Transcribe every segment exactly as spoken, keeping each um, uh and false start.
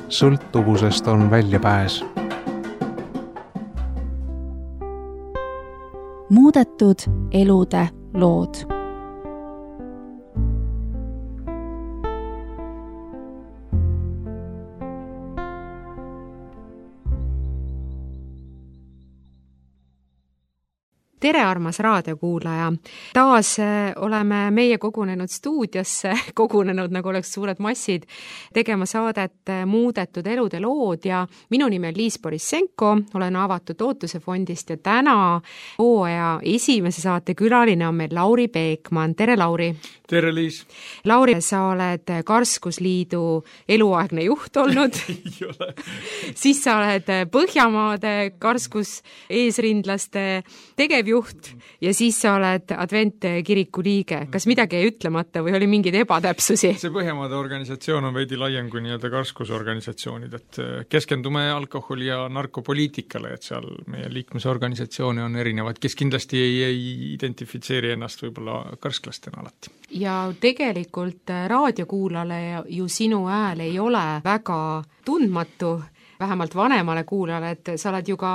sõltuvusest on väljapääs. Muudetud elude lood. Tere, armas raadiokuulaja! Taas oleme meie kogunenud stuudiosse, kogunenud nagu oleks suured massid, tegema saadet Muudetud elude lood ja minu nimi on Liis Borissenko, olen Avatud Ootuse fondist ja täna hooaja esimese saate külaline on meil Lauri Peekman. Tere, Lauri! Tere, Liis! Lauri, sa oled Karskusliidu eluaegne juht olnud. Ei ole. Siis sa oled Põhjamaade Karskus eesrindlaste tegevjuht ja siis sa oled Adventkiriku liige. Kas midagi ei ütlemata või oli mingeid ebatäpsusi? See Põhjamaade organisatsioon on veidi laiem kui nii-öelda karskusorganisatsioonid, et keskendume alkoholi- ja narkopoliitikale, et seal meie liikmesorganisatsioone on erinevad, kes kindlasti ei, ei identifitseeri ennast võib-olla karsklastena alati. Ja tegelikult raadiokuulale ju sinu hääl ei ole väga tundmatu, vähemalt vanemale kuulajale, et sa oled ju ka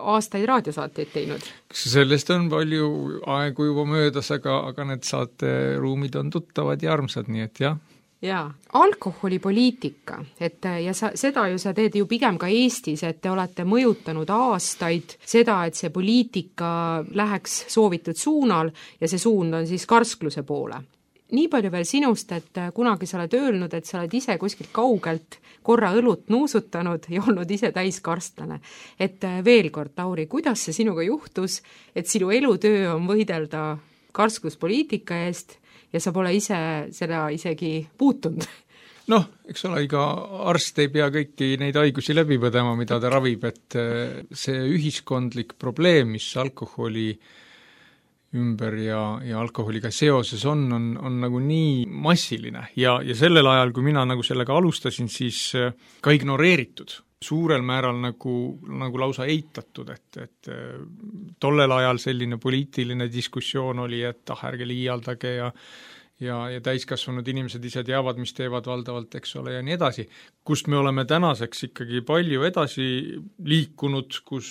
aastaid raadiosaateid teinud. Sellest on palju aegu juba möödas, aga, aga need saateruumid on tuttavad ja armsad, nii et jah. Jaa, alkoholipoliitika, et ja sa, seda ju sa teed ju pigem ka Eestis, et te olete mõjutanud aastaid seda, et see poliitika läheks soovitud suunal ja see suund on siis karskluse poole. Nii palju veel sinust, et kunagi sa oled öelnud, et sa oled ise kuskilt kaugelt korra õlut nuusutanud ja olnud ise täiskarstlane. Et veel kord, Lauri, kuidas see sinuga juhtus, et sinu elutöö on võidelda karskluspoliitika eest ja sa pole ise seda isegi puutunud? Noh, eks ole, iga arst ei pea kõiki neid haigusi läbi põdema, mida ta ravib, et see ühiskondlik probleem, mis alkoholi ümber ja, ja alkoholiga seoses on, on, on nagu nii massiline ja, ja sellel ajal, kui mina nagu sellega alustasin, siis ka ignoreeritud, suurel määral nagu, nagu lausa eitatud, et, et tollel ajal selline poliitiline diskussioon oli, et ah, ärge liialdage ja ja, ja täiskasvanud inimesed ise teavad, mis teevad valdavalt, eks ole, ja nii edasi. Kust me oleme tänaseks ikkagi palju edasi liikunud, kus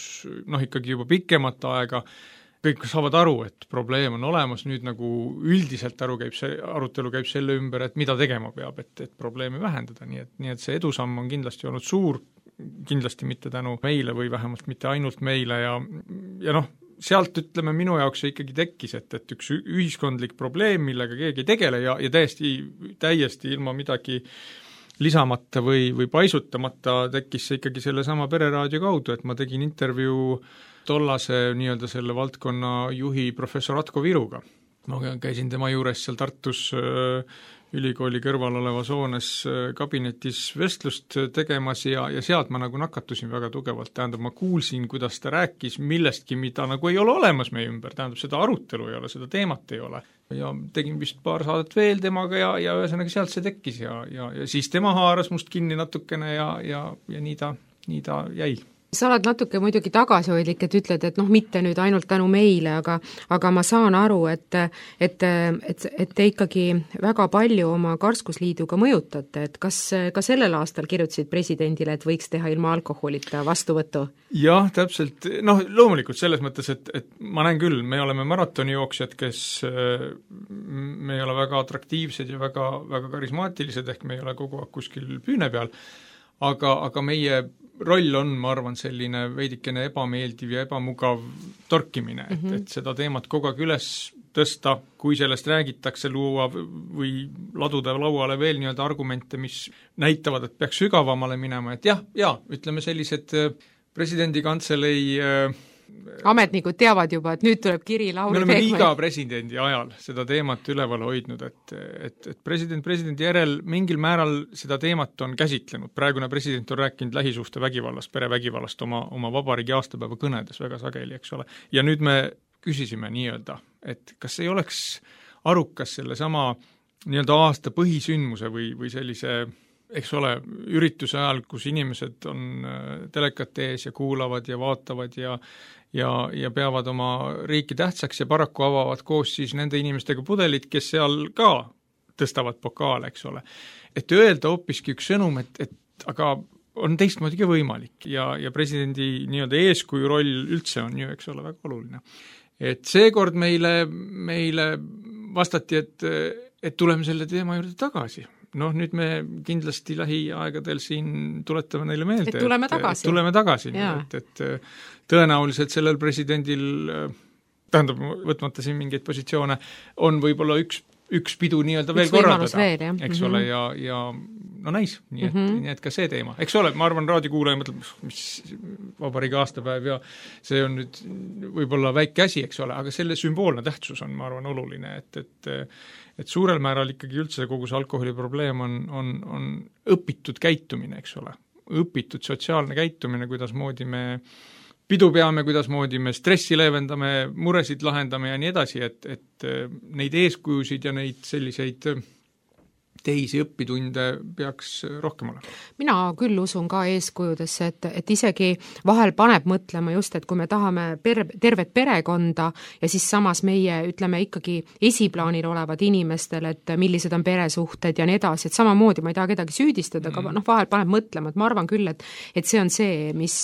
noh, ikkagi juba pikemat aega kõik saavad aru, et probleem on olemas, nüüd nagu üldiselt aru käib see, arutelu käib selle ümber, et mida tegema peab, et, et probleemi vähendada, nii et, nii et see edusamm on kindlasti olnud suur, kindlasti mitte tänu meile või vähemalt mitte ainult meile ja, ja noh, sealt ütleme minu jaoks see ikkagi tekkis, et, et üks ühiskondlik probleem, millega keegi ei tegele ja, ja täiesti, täiesti ilma midagi lisamata või, või paisutamata tekkis see ikkagi selle sama pereraadio kaudu, et ma tegin intervjuu tollase nii-öelda selle valdkonna juhi professor Atko Viruga. Ma käisin tema juures seal Tartus ülikooli kõrval olevas hoones kabinetis vestlust tegemas ja, ja sealt ma nagu nakatusin väga tugevalt. Tähendab, ma kuulsin, kuidas ta rääkis millestki, mida nagu ei ole olemas meie ümber. Tähendab, seda arutelu ei ole, seda teemat ei ole. Ja tegin vist paar saadet veel temaga ja, ja ühesõnaga sealt see tekkis ja, ja, ja siis tema haaras must kinni natukene ja, ja, ja nii ta, nii ta jäi. Sa oled natuke muidugi tagasihoidlik, et ütled, et noh, mitte nüüd ainult tänu meile, aga, aga ma saan aru, et, et, et, et te ikkagi väga palju oma Karskusliiduga mõjutate, et kas ka sellel aastal kirjutasid presidendile, et võiks teha ilma alkoholita vastuvõttu? Jah, täpselt, noh, loomulikult selles mõttes, et, et ma näen küll, me oleme maratonijooksjad, kes me ei ole väga atraktiivsed ja väga, väga karismaatilised, ehk me ei ole kogu aeg kuskil püüne peal, aga, aga meie roll on, ma arvan, selline veidikene ebameeldiv ja ebamugav torkimine, et, mm-hmm. et seda teemat kogu aeg üles tõsta, kui sellest räägitakse, luua või laduda lauale veel nii-öelda argumente, mis näitavad, et peaks sügavamale minema, et jah, ja ütleme sellised presidendi kantselei ametnikud teavad juba, et nüüd tuleb kiri Lauri Peekman. Me oleme Peekman. iga presidendi ajal seda teemat üleval hoidnud, et, et, et president presidendi järel mingil määral seda teemat on käsitlenud. Praegune president on rääkinud lähisuhte vägivallast, perevägivallast oma, oma vabariigi aastapäeva kõnedes väga sageli, eks ole. Ja nüüd me küsisime nii-öelda, et kas ei oleks arukas selle sama nii-öelda aasta põhisündmuse või, või sellise eks ole, ürituse ajal, kus inimesed on telekate ees ja kuulavad ja vaatavad ja, ja, ja peavad oma riiki tähtsaks ja paraku avavad koos siis nende inimestega pudelid, kes seal ka tõstavad pokaale, eks ole. Et öelda hoopiski üks sõnum, et, et aga on teistmoodi võimalik ja, ja presidendi nii-öelda eeskuju roll üldse on ju, eks ole, väga oluline. Et seekord meile, meile vastati, et, et tuleme selle teema juurde tagasi. Noh, nüüd me kindlasti lähiaegadel siin tuletame neile meelde, et tuleme tagasi, et, et, tuleme tagasi et, et tõenäoliselt sellel presidendil, tähendab, võtmata siin mingeid positsioone, on võib-olla üks üks pidu nii-öelda veel korraldada, eks ole, ja, ja no näis, nii et, mm -hmm. nii et ka see teema. Eks ole, ma arvan, raadiokuulaja mõtleb, mis vabariigi aastapäev ja see on nüüd võib-olla väike asi, eks ole, aga selle sümboolne tähtsus on, ma arvan, oluline, et, et et suurel määral ikkagi üldse kogu see alkoholiprobleem on, on, on õpitud käitumine, eks ole, õpitud sotsiaalne käitumine, kuidas moodi me pidu peame, kuidas moodi me stressi leevendame, muresid lahendame ja nii edasi, et, et neid eeskujusid ja neid selliseid teisi õppitunde peaks rohkem olema. Mina küll usun ka eeskujudesse, et, et isegi vahel paneb mõtlema just, et kui me tahame per, tervet perekonda ja siis samas meie, ütleme ikkagi esiplaanil olevad inimestel, et millised on peresuhted ja nii edasi, et samamoodi ma ei taha kedagi süüdistada, aga noh, vahel paneb mõtlema, et ma arvan küll, et, et see on see, mis,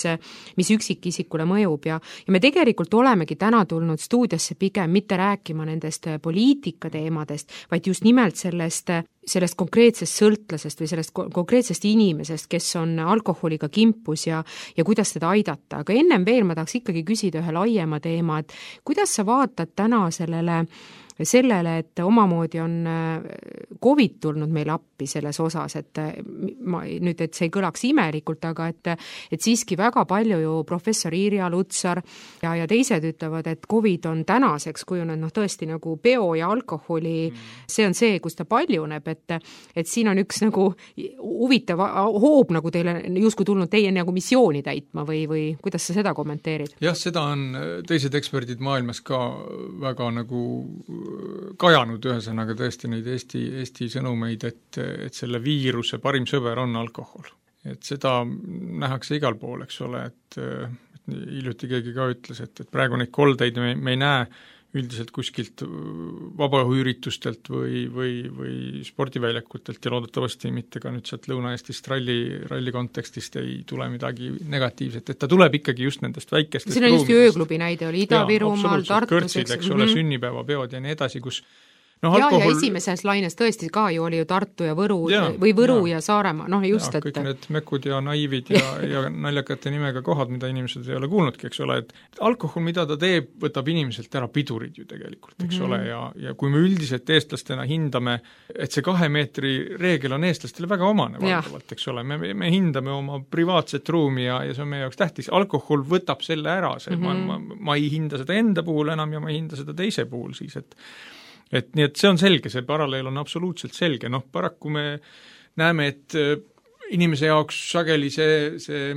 mis üksikisikule mõjub ja, ja me tegelikult olemegi täna tulnud stuudiosse pigem mitte rääkima nendest poliitika teemadest, vaid just nimelt sellest sellest konkreetsest sõltlasest või sellest konkreetsest inimesest, kes on alkoholiga kimpus ja, ja kuidas teda aidata. Aga ennem veel ma tahaks ikkagi küsida ühe laiema teema, et kuidas sa vaatad täna sellele sellele, et omamoodi on COVID tulnud meile appi selles osas, et ma nüüd, et see ei kõlaks imelikult, aga et, et siiski väga palju ju professor Irja Lutsar ja, ja teised ütlevad, et COVID on tänaseks kujunenud noh, tõesti nagu peo ja alkoholi, see on see, kus ta paljuneb, et, et siin on üks nagu huvitav hoob nagu teile justkui tulnud teie nagu missiooni täitma või, või kuidas sa seda kommenteerid? Jah, seda on teised eksperdid maailmas ka väga nagu kajanud ühesõnaga tõesti neid Eesti, Eesti sõnumeid, et, et selle viiruse parim sõber on alkohol. Et seda nähakse igal pool, eks ole, et, et hiljuti keegi ka ütles, et, et praegu neid koldeid me, me ei näe üldiselt kuskilt vabaõhuüritustelt või, või, või spordiväljakutelt ja loodetavasti mitte ka nüüd sealt Lõuna-Eestist ralli, ralli kontekstist ei tule midagi negatiivset, et ta tuleb ikkagi just nendest väikestest siin on just ööklubi näide, oli Ida-Virumaal, Tartus, kõrtsid, eks ole, mm -hmm. sünnipäevapeod ja nii edasi, kus no, ja, alkohol... ja esimeses laines tõesti ka ju oli ju Tartu ja Võru ja, või Võru ja, ja Saaremaa, noh just, ja, et kõik need mekud ja naivid ja, ja naljakate nimega kohad, mida inimesed ei ole kuulnudki, eks ole, et alkohol, mida ta teeb, võtab inimeselt ära pidurid ju tegelikult, eks mm -hmm. ole, ja, ja kui me üldiselt eestlastena hindame, et see kahe meetri reegel on eestlastele väga omane valdavalt, eks ole, me, me hindame oma privaatset ruumi ja, ja see on meie jaoks tähtis, alkohol võtab selle ära, see, mm -hmm. ma, ma, ma ei hinda seda enda puhul enam ja ma ei hinda seda teise puhul siis, et et nii, et see on selge, see paralleel on absoluutselt selge, noh paraku me näeme, et inimese jaoks sageli see, see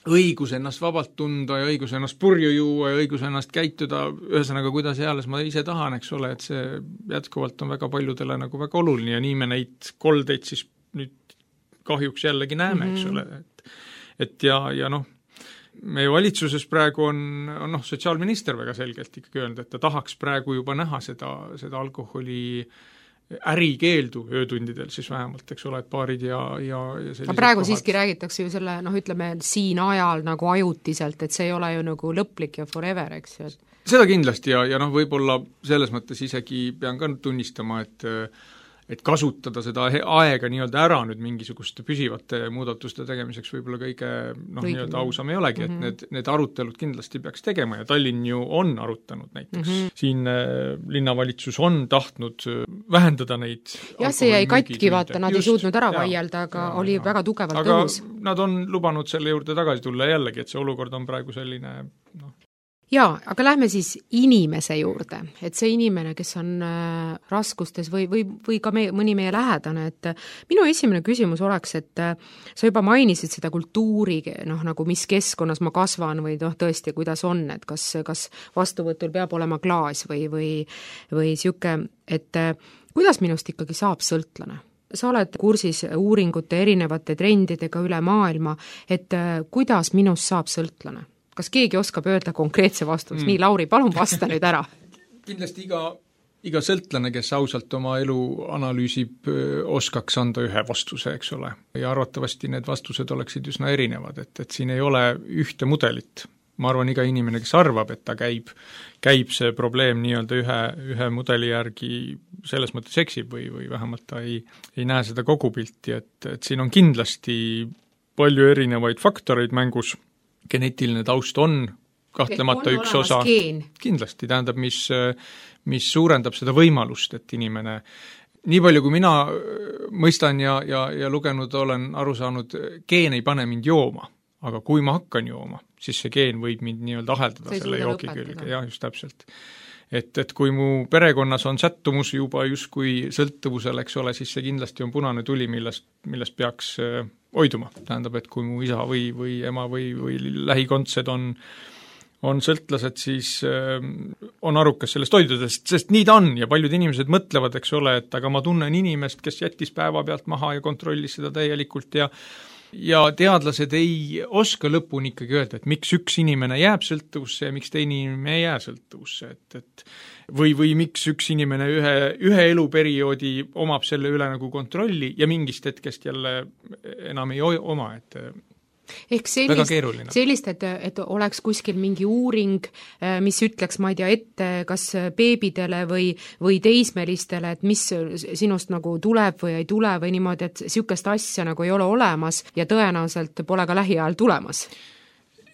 õigus ennast vabalt tunda ja õigus ennast purju juua ja õigus ennast käituda, ühesõnaga kuidas eales ma ise tahan, eks ole, et see jätkuvalt on väga paljudele nagu väga oluline ja nii me neid koldeid siis nüüd kahjuks jällegi näeme, mm -hmm. eks ole, et, et ja, ja noh, meie valitsuses praegu on, on noh, sotsiaalminister väga selgelt ikkagi öelnud, et ta tahaks praegu juba näha seda, seda alkoholi ärikeeldu öötundidel siis vähemalt, eks ole, et baarid ja, ja, ja sellised praegu kohad. Siiski räägitakse ju selle, noh ütleme, siin ajal nagu ajutiselt, et see ei ole ju nagu lõplik ja forever, eks ju. Seda kindlasti ja, ja noh, võib-olla selles mõttes isegi pean ka tunnistama, et et kasutada seda aega nii-öelda ära nüüd mingisuguste püsivate muudatuste tegemiseks võib-olla kõige noh, nii-öelda ausam ei olegi, et mm -hmm. need, need arutelud kindlasti peaks tegema ja Tallinn ju on arutanud näiteks. Mm -hmm. Siin äh, linnavalitsus on tahtnud vähendada neid jah, see jäi katki, vaata, nad just, ei suutnud ära vaielda, aga ja, oli ja. väga tugevalt aga tõus. Nad on lubanud selle juurde tagasi tulla jällegi, et see olukord on praegu selline noh, jaa, aga lähme siis inimese juurde, et see inimene, kes on äh, raskustes või, või, või ka me, mõni meie lähedane, et äh, minu esimene küsimus oleks, et äh, sa juba mainisid seda kultuuri, noh nagu mis keskkonnas ma kasvan või noh tõesti, kuidas on, et kas, kas vastuvõtul peab olema klaas või, või, või siuke, et äh, kuidas minust ikkagi saab sõltlane? Sa oled kursis uuringute erinevate trendidega üle maailma, et äh, kuidas minust saab sõltlane? Kas keegi oskab öelda konkreetse vastust? Mm. Nii, Lauri, palun vasta nüüd ära. Kindlasti iga iga sõltlane, kes ausalt oma elu analüüsib, oskaks anda ühe vastuse, eks ole. Ja arvatavasti need vastused oleksid üsna erinevad, et, et siin ei ole ühte mudelit. Ma arvan, iga inimene, kes arvab, et ta käib, käib see probleem nii-öelda ühe, ühe mudeli järgi selles mõttes eksib või, või vähemalt ta ei, ei näe seda kogupilti, et, et siin on kindlasti palju erinevaid faktoreid mängus, geneetiline taust on kahtlemata üks osa, geen. Kindlasti, tähendab, mis, mis suurendab seda võimalust, et inimene, nii palju kui mina mõistan ja, ja, ja lugenud olen aru saanud, geen ei pane mind jooma, aga kui ma hakkan jooma, siis see geen võib mind nii-öelda aheldada selle joogi külge, jah, just täpselt. Et, et kui mu perekonnas on sättumus juba justkui sõltuvusel, eks ole, siis see kindlasti on punane tuli, millest, millest peaks hoiduma. Tähendab, et kui mu isa või, või ema või, või lähikondsed on on sõltlased, siis äh, on arukas sellest hoiduda, sest, sest nii ta on ja paljud inimesed mõtlevad, eks ole, et aga ma tunnen inimest, kes jättis päeva pealt maha ja kontrollis seda täielikult ja ja teadlased ei oska lõpuni ikkagi öelda, et miks üks inimene jääb sõltuvusse ja miks teine inimene ei jää sõltuvusse, et, et või, või miks üks inimene ühe, ühe eluperioodi omab selle üle nagu kontrolli ja mingist hetkest jälle enam ei oma, et ehk sellist, sellist, et, et oleks kuskil mingi uuring, mis ütleks, ma ei tea, ette kas beebidele või, või teismelistele, et mis sinust nagu tuleb või ei tule või niimoodi, et niisugust asja nagu ei ole olemas ja tõenäoliselt pole ka lähiajal tulemas.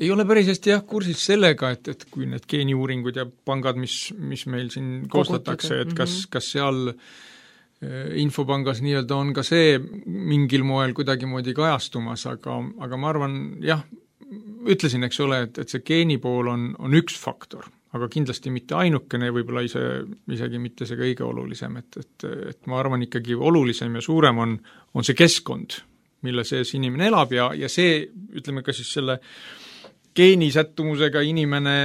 Ei ole päris hästi jah kursis sellega, et, et kui need geeniuuringud ja pangad, mis, mis meil siin koostatakse, et kas, kas seal infopangas nii-öelda on ka see mingil moel kuidagimoodi kajastumas, aga, aga ma arvan, jah, ütlesin, eks ole, et, et see geeni pool on, on üks faktor, aga kindlasti mitte ainukene, võib-olla ise, isegi mitte see kõige olulisem, et, et, et ma arvan ikkagi olulisem ja suurem on, on see keskkond, mille sees inimene elab ja, ja see, ütleme ka siis selle geenisättumusega inimene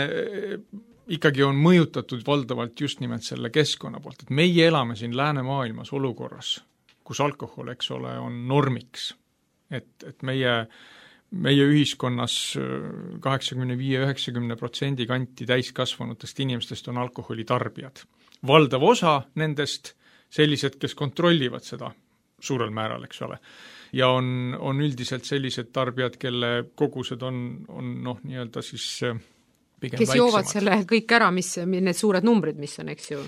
ikkagi on mõjutatud valdavalt just nimelt selle keskkonna poolt, et meie elame siin läänemaailmas olukorras, kus alkohol, eks ole, on normiks. Et, et meie, meie ühiskonnas kaheksakümne viie üheksakümne protsendi kanti täiskasvanutest inimestest on alkoholitarbijad. Valdav osa nendest sellised, kes kontrollivad seda suurel määral, eks ole. Ja on, on üldiselt sellised tarbijad, kelle kogused on, on noh, nii-öelda siis kes väiksemad. Joovad selle kõik ära, mis need suured numbrid, mis on, eks ju?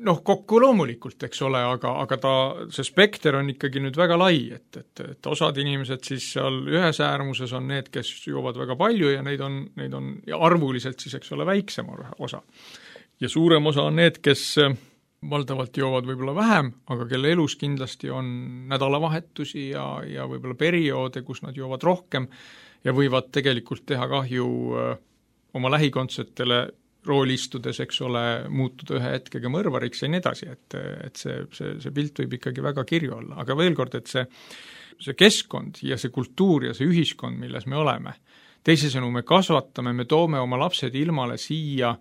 Noh, kokku loomulikult, eks ole, aga, aga ta, see spekter on ikkagi nüüd väga lai, et, et, et osad inimesed siis seal ühes äärmuses on need, kes joovad väga palju ja neid on, neid on ja arvuliselt siis, eks ole, väiksem osa. Ja suurem osa on need, kes valdavalt joovad võib-olla vähem, aga kelle elus kindlasti on nädalavahetusi ja, ja võib-olla perioode, kus nad joovad rohkem ja võivad tegelikult teha kahju oma lähikontsetele rooli istudes, eks ole, muutuda ühe hetkega mõrvariks ja nii edasi, et, et see, see, see pilt võib ikkagi väga kirju olla. Aga veel kord, et see, see keskkond ja see kultuur ja see ühiskond, milles me oleme, teisisõnu me kasvatame, me toome oma lapsed ilmale siia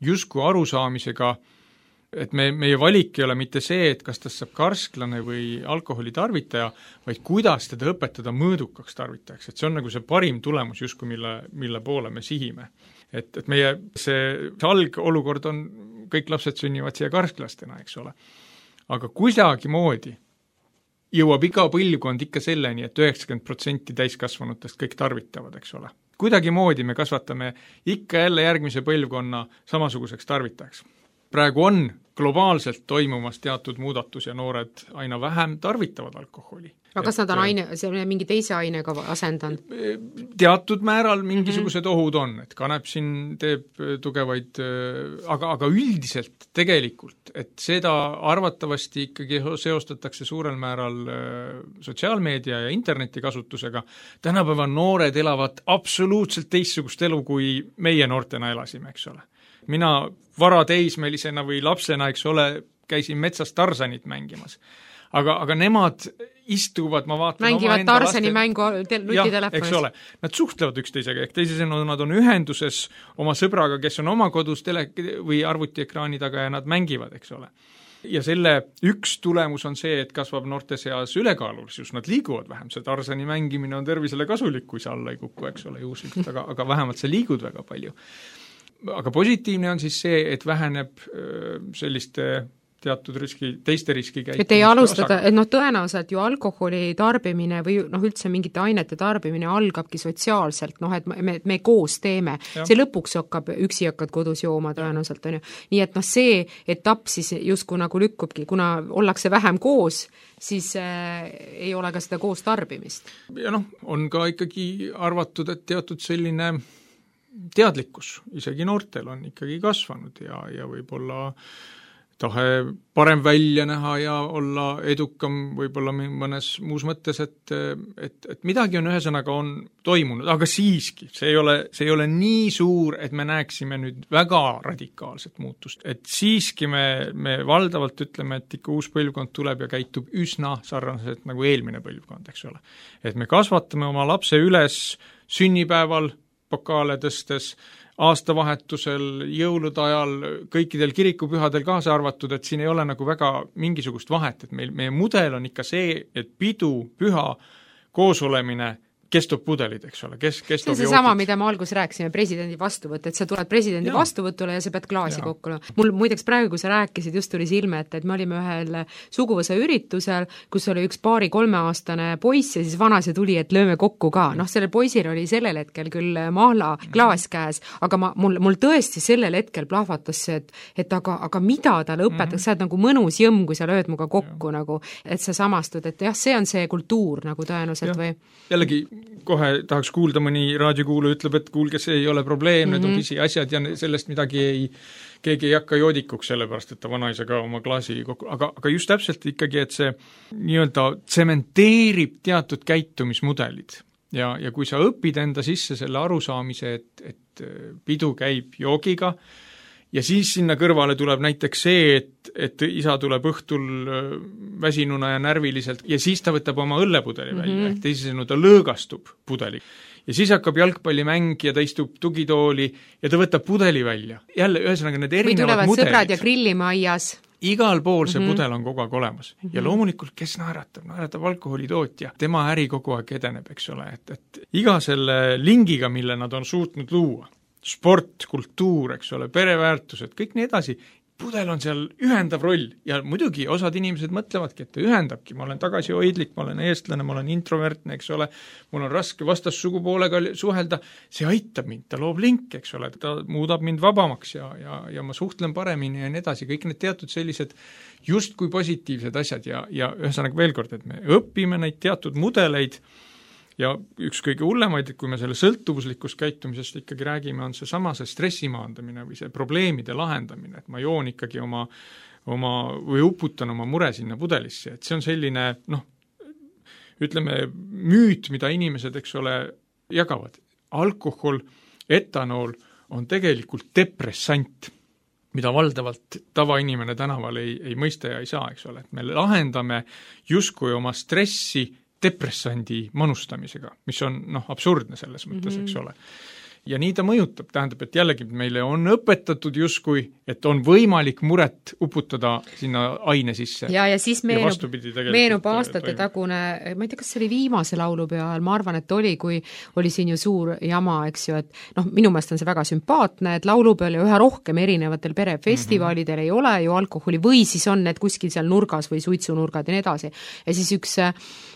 justkui arusaamisega, et me, meie valik ei ole mitte see, et kas tast saab karsklane või alkoholitarvitaja, vaid kuidas teda õpetada mõõdukaks tarvitajaks, et see on nagu see parim tulemus justkui, mille, mille poole me sihime. Et, et meie see, see algolukord on, kõik lapsed sünnivad siia karsklastena, eks ole. Aga kuidagi moodi jõuab iga põlvkond ikka selleni, et üheksakümmend protsenti täiskasvanutest kõik tarvitavad, eks ole. Kuidagi moodi me kasvatame ikka jälle järgmise põlvkonna samasuguseks tarvitajaks. Praegu on globaalselt toimumas teatud muudatus ja noored aina vähem tarvitavad alkoholi. Aga kas nad on aine, see mingi teise ainega asendanud? Teatud määral mingisugused mm-hmm. ohud on, et kanep siin teeb tugevaid, aga, aga üldiselt tegelikult, et seda arvatavasti ikkagi seostatakse suurel määral sotsiaalmeedia ja interneti kasutusega. Tänapäeva noored elavad absoluutselt teistsugust elu, kui meie noortena elasime, eks ole. Mina varateismelisena või lapsena, eks ole, käisin metsas Tarzanit mängimas. Aga, aga nemad istuvad, ma vaatan mängivad Tarzani laste... mängu nutitelefonis. Eks ole, nad suhtlevad üksteisega, ehk teisisõnu nad on ühenduses oma sõbraga, kes on oma kodus tele- või arvutiekraani taga ja nad mängivad, eks ole. Ja selle üks tulemus on see, et kasvab noorte seas ülekaalulisus, nad liiguvad vähem, see Tarzani mängimine on tervisele kasulik, kui sa alla ei kuku, eks ole, juhuslikult, aga, aga vähemalt sa liigud väga palju. Aga positiivne on siis see, et väheneb selliste teatud riski, teiste riskikäitumiste et ei alustada, et noh, tõenäoliselt ju alkoholi tarbimine või noh, üldse mingite ainete tarbimine algabki sotsiaalselt, noh, et me, me koos teeme. Ja. See lõpuks hakkab, üksi hakkad kodus jooma tõenäoliselt, on ju. Nii et noh, see etapp siis justkui nagu lükkubki, kuna ollakse vähem koos, siis äh, ei ole ka seda koos tarbimist. Ja noh, on ka ikkagi arvatud, et teatud selline teadlikkus, isegi noortel on ikkagi kasvanud ja, ja võib-olla tahe parem välja näha ja olla edukam võib-olla mõnes muus mõttes, et, et, et midagi on ühesõnaga on toimunud, aga siiski, see ei ole, see ei ole nii suur, et me näeksime nüüd väga radikaalset muutust. Et siiski me, me valdavalt ütleme, et ikka uus põlvkond tuleb ja käitub üsna sarnaselt nagu eelmine põlvkond, eks ole. Et me kasvatame oma lapse üles sünnipäeval, pokaale tõstes, aastavahetusel, jõulude ajal, kõikidel kirikupühadel kaasa arvatud, et siin ei ole nagu väga mingisugust vahet, et meil, meie mudel on ikka see, et pidu, püha, koosolemine kestub pudelid, eks ole, kes, kestub see on see sama, mida me alguses rääkisime, presidendi vastuvõtt, et sa tuled presidendi ja. vastuvõtule ja sa pead klaasi ja. kokku. Mul muideks praegu, kui sa rääkisid, just tuli silme, et, et me olime ühel suguvõsa üritusel, kus oli üks paari kolmeaastane poiss ja siis vanaisa tuli, et lööme kokku ka. Noh, sellel poisil oli sellel hetkel küll mahla klaas käes, aga ma, mul, mul tõesti sellel hetkel plahvatas see, et, et aga, aga mida talle õpetaks, mm -hmm. sa oled nagu mõnus jõmm, kui sa lööd muga kokku, ja. nagu, et sa samastud, et jah, see on see kultuur nagu tõenäoliselt või? Jällegi kohe tahaks kuulda, mõni raadiokuulu ütleb, et kuulge, see ei ole probleem, need mm -hmm. on pisiasjad ja sellest midagi ei, keegi ei hakka joodikuks, sellepärast, et ta vanaisa ka oma klaasi kokku, aga, aga just täpselt ikkagi, et see nii-öelda tsementeerib teatud käitumismudelid ja, ja kui sa õpid enda sisse selle arusaamise, et, et pidu käib joogiga, ja siis sinna kõrvale tuleb näiteks see, et, et isa tuleb õhtul väsinuna ja närviliselt ja siis ta võtab oma õllepudeli mm -hmm. välja, ehk teisisõnu ta lõõgastub pudeli. Ja siis hakkab jalgpallimäng ja ta istub tugitooli ja ta võtab pudeli välja. Jälle, ühesõnaga need erinevad mudelid. Või tulevad sõbrad ja grillime aias. Igal pool see mm -hmm. pudel on kogu aeg olemas. Ja loomulikult, kes naeratab? Naeratab alkoholitootja. Tema äri kogu aeg edeneb, eks ole. Et, et iga selle lingiga, mille nad on suutnud luua, sport, kultuur, eks ole, pereväärtused, kõik nii edasi, pudel on seal ühendav roll ja muidugi osad inimesed mõtlevadki, et ta ühendabki, ma olen tagasihoidlik, ma olen eestlane, ma olen introvertne, eks ole, mul on raske vastassugupoolega suhelda, see aitab mind, ta loob link, eks ole, ta muudab mind vabamaks ja, ja, ja ma suhtlen paremini ja nii edasi, kõik need teatud sellised justkui positiivsed asjad ja, ja ühesõnaga veel kord, et me õpime neid teatud mudeleid ja üks kõige hullemaid, et kui me selle sõltuvuslikust käitumisest ikkagi räägime, on see sama see stressi maandamine või see probleemide lahendamine, et ma joon ikkagi oma, oma või uputan oma mure sinna pudelisse, et see on selline, noh, ütleme, müüt, mida inimesed, eks ole, jagavad. Alkohol, etanool on tegelikult depressant, mida valdavalt tavainimene tänaval ei, ei mõista ja ei saa, eks ole, et me lahendame justkui oma stressi depressandi manustamisega, mis on noh, absurdne selles mõttes, eks ole. Ja nii ta mõjutab, tähendab, et jällegi meile on õpetatud justkui, et on võimalik muret uputada sinna aine sisse. Ja, ja siis meenub, ja meenub aastate toimub. Tagune, ma ei tea, kas see oli viimase laulupeo ajal, ma arvan, et oli, kui oli siin ju suur jama, eks ju, et noh, minu meelest on see väga sümpaatne, et laulupeol ja üha rohkem erinevatel perefestivalidel mm-hmm. ei ole ju alkoholi või siis on need kuskil seal nurgas või suitsunurgad ja nii edasi. Ja siis üks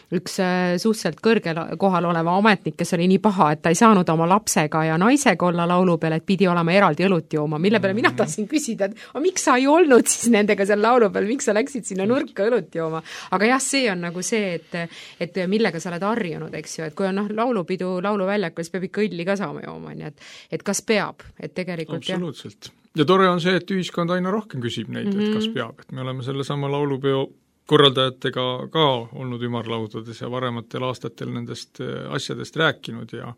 üks suhteliselt kõrgel kohal oleva ametnik, kes oli nii paha, et ta ei saanud oma lapsega ja naisega olla laulu peal, et pidi olema eraldi õlut jooma, mille peale mina tahtsin küsida, et aga miks sa ei olnud siis nendega seal laulu peal, miks sa läksid sinna nurka õlut jooma? Aga jah, see on nagu see, et, et millega sa oled harjunud, eks ju, et kui on noh, laulupidu lauluväljakul, siis peab ikka õlli ka saama jooma, nii et, et kas peab, et tegelikult absoluutselt. Ja tore on see, et ühiskond aina rohkem küsib neid, mm-hmm. et kas peab, et me oleme selle sama laulupeo korraldajatega ka olnud ümarlaudades ja varematel aastatel nendest asjadest rääkinud ja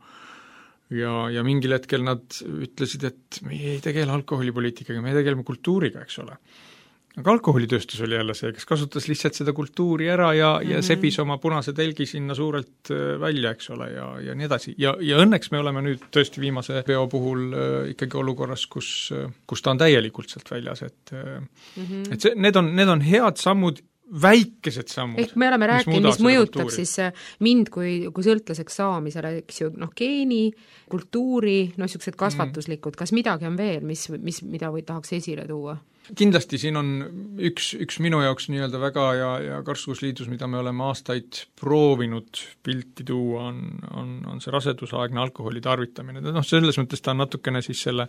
ja, ja mingil hetkel nad ütlesid, et me ei tegele alkoholipoliitikaga, me tegeleme kultuuriga, eks ole. Aga alkoholitööstus oli jälle see, kes kasutas lihtsalt seda kultuuri ära ja, mm-hmm. ja sebis oma punase telgi sinna suurelt välja, eks ole, ja, ja nii edasi. Ja, ja õnneks me oleme nüüd tõesti viimase peo puhul äh, ikkagi olukorras, kus, kus ta on täielikult sealt väljas, et, mm-hmm. et see, need on, need on head sammud väikesed sammud. Ehk me oleme rääkinud, mis mõjutab kultuuri. Siis mind kui, kui sõltlaseks saamisele, eks ju, noh, geeni, kultuuri, noh, niisugused kasvatuslikud, kas midagi on veel, mis, mis, mida või tahaks esile tuua? Kindlasti siin on üks, üks minu jaoks nii-öelda väga ja, ja karskusliidus, mida me oleme aastaid proovinud pilti tuua, on, on, on see rasedusaegne alkoholi tarvitamine. Noh, selles mõttes ta on natukene siis selle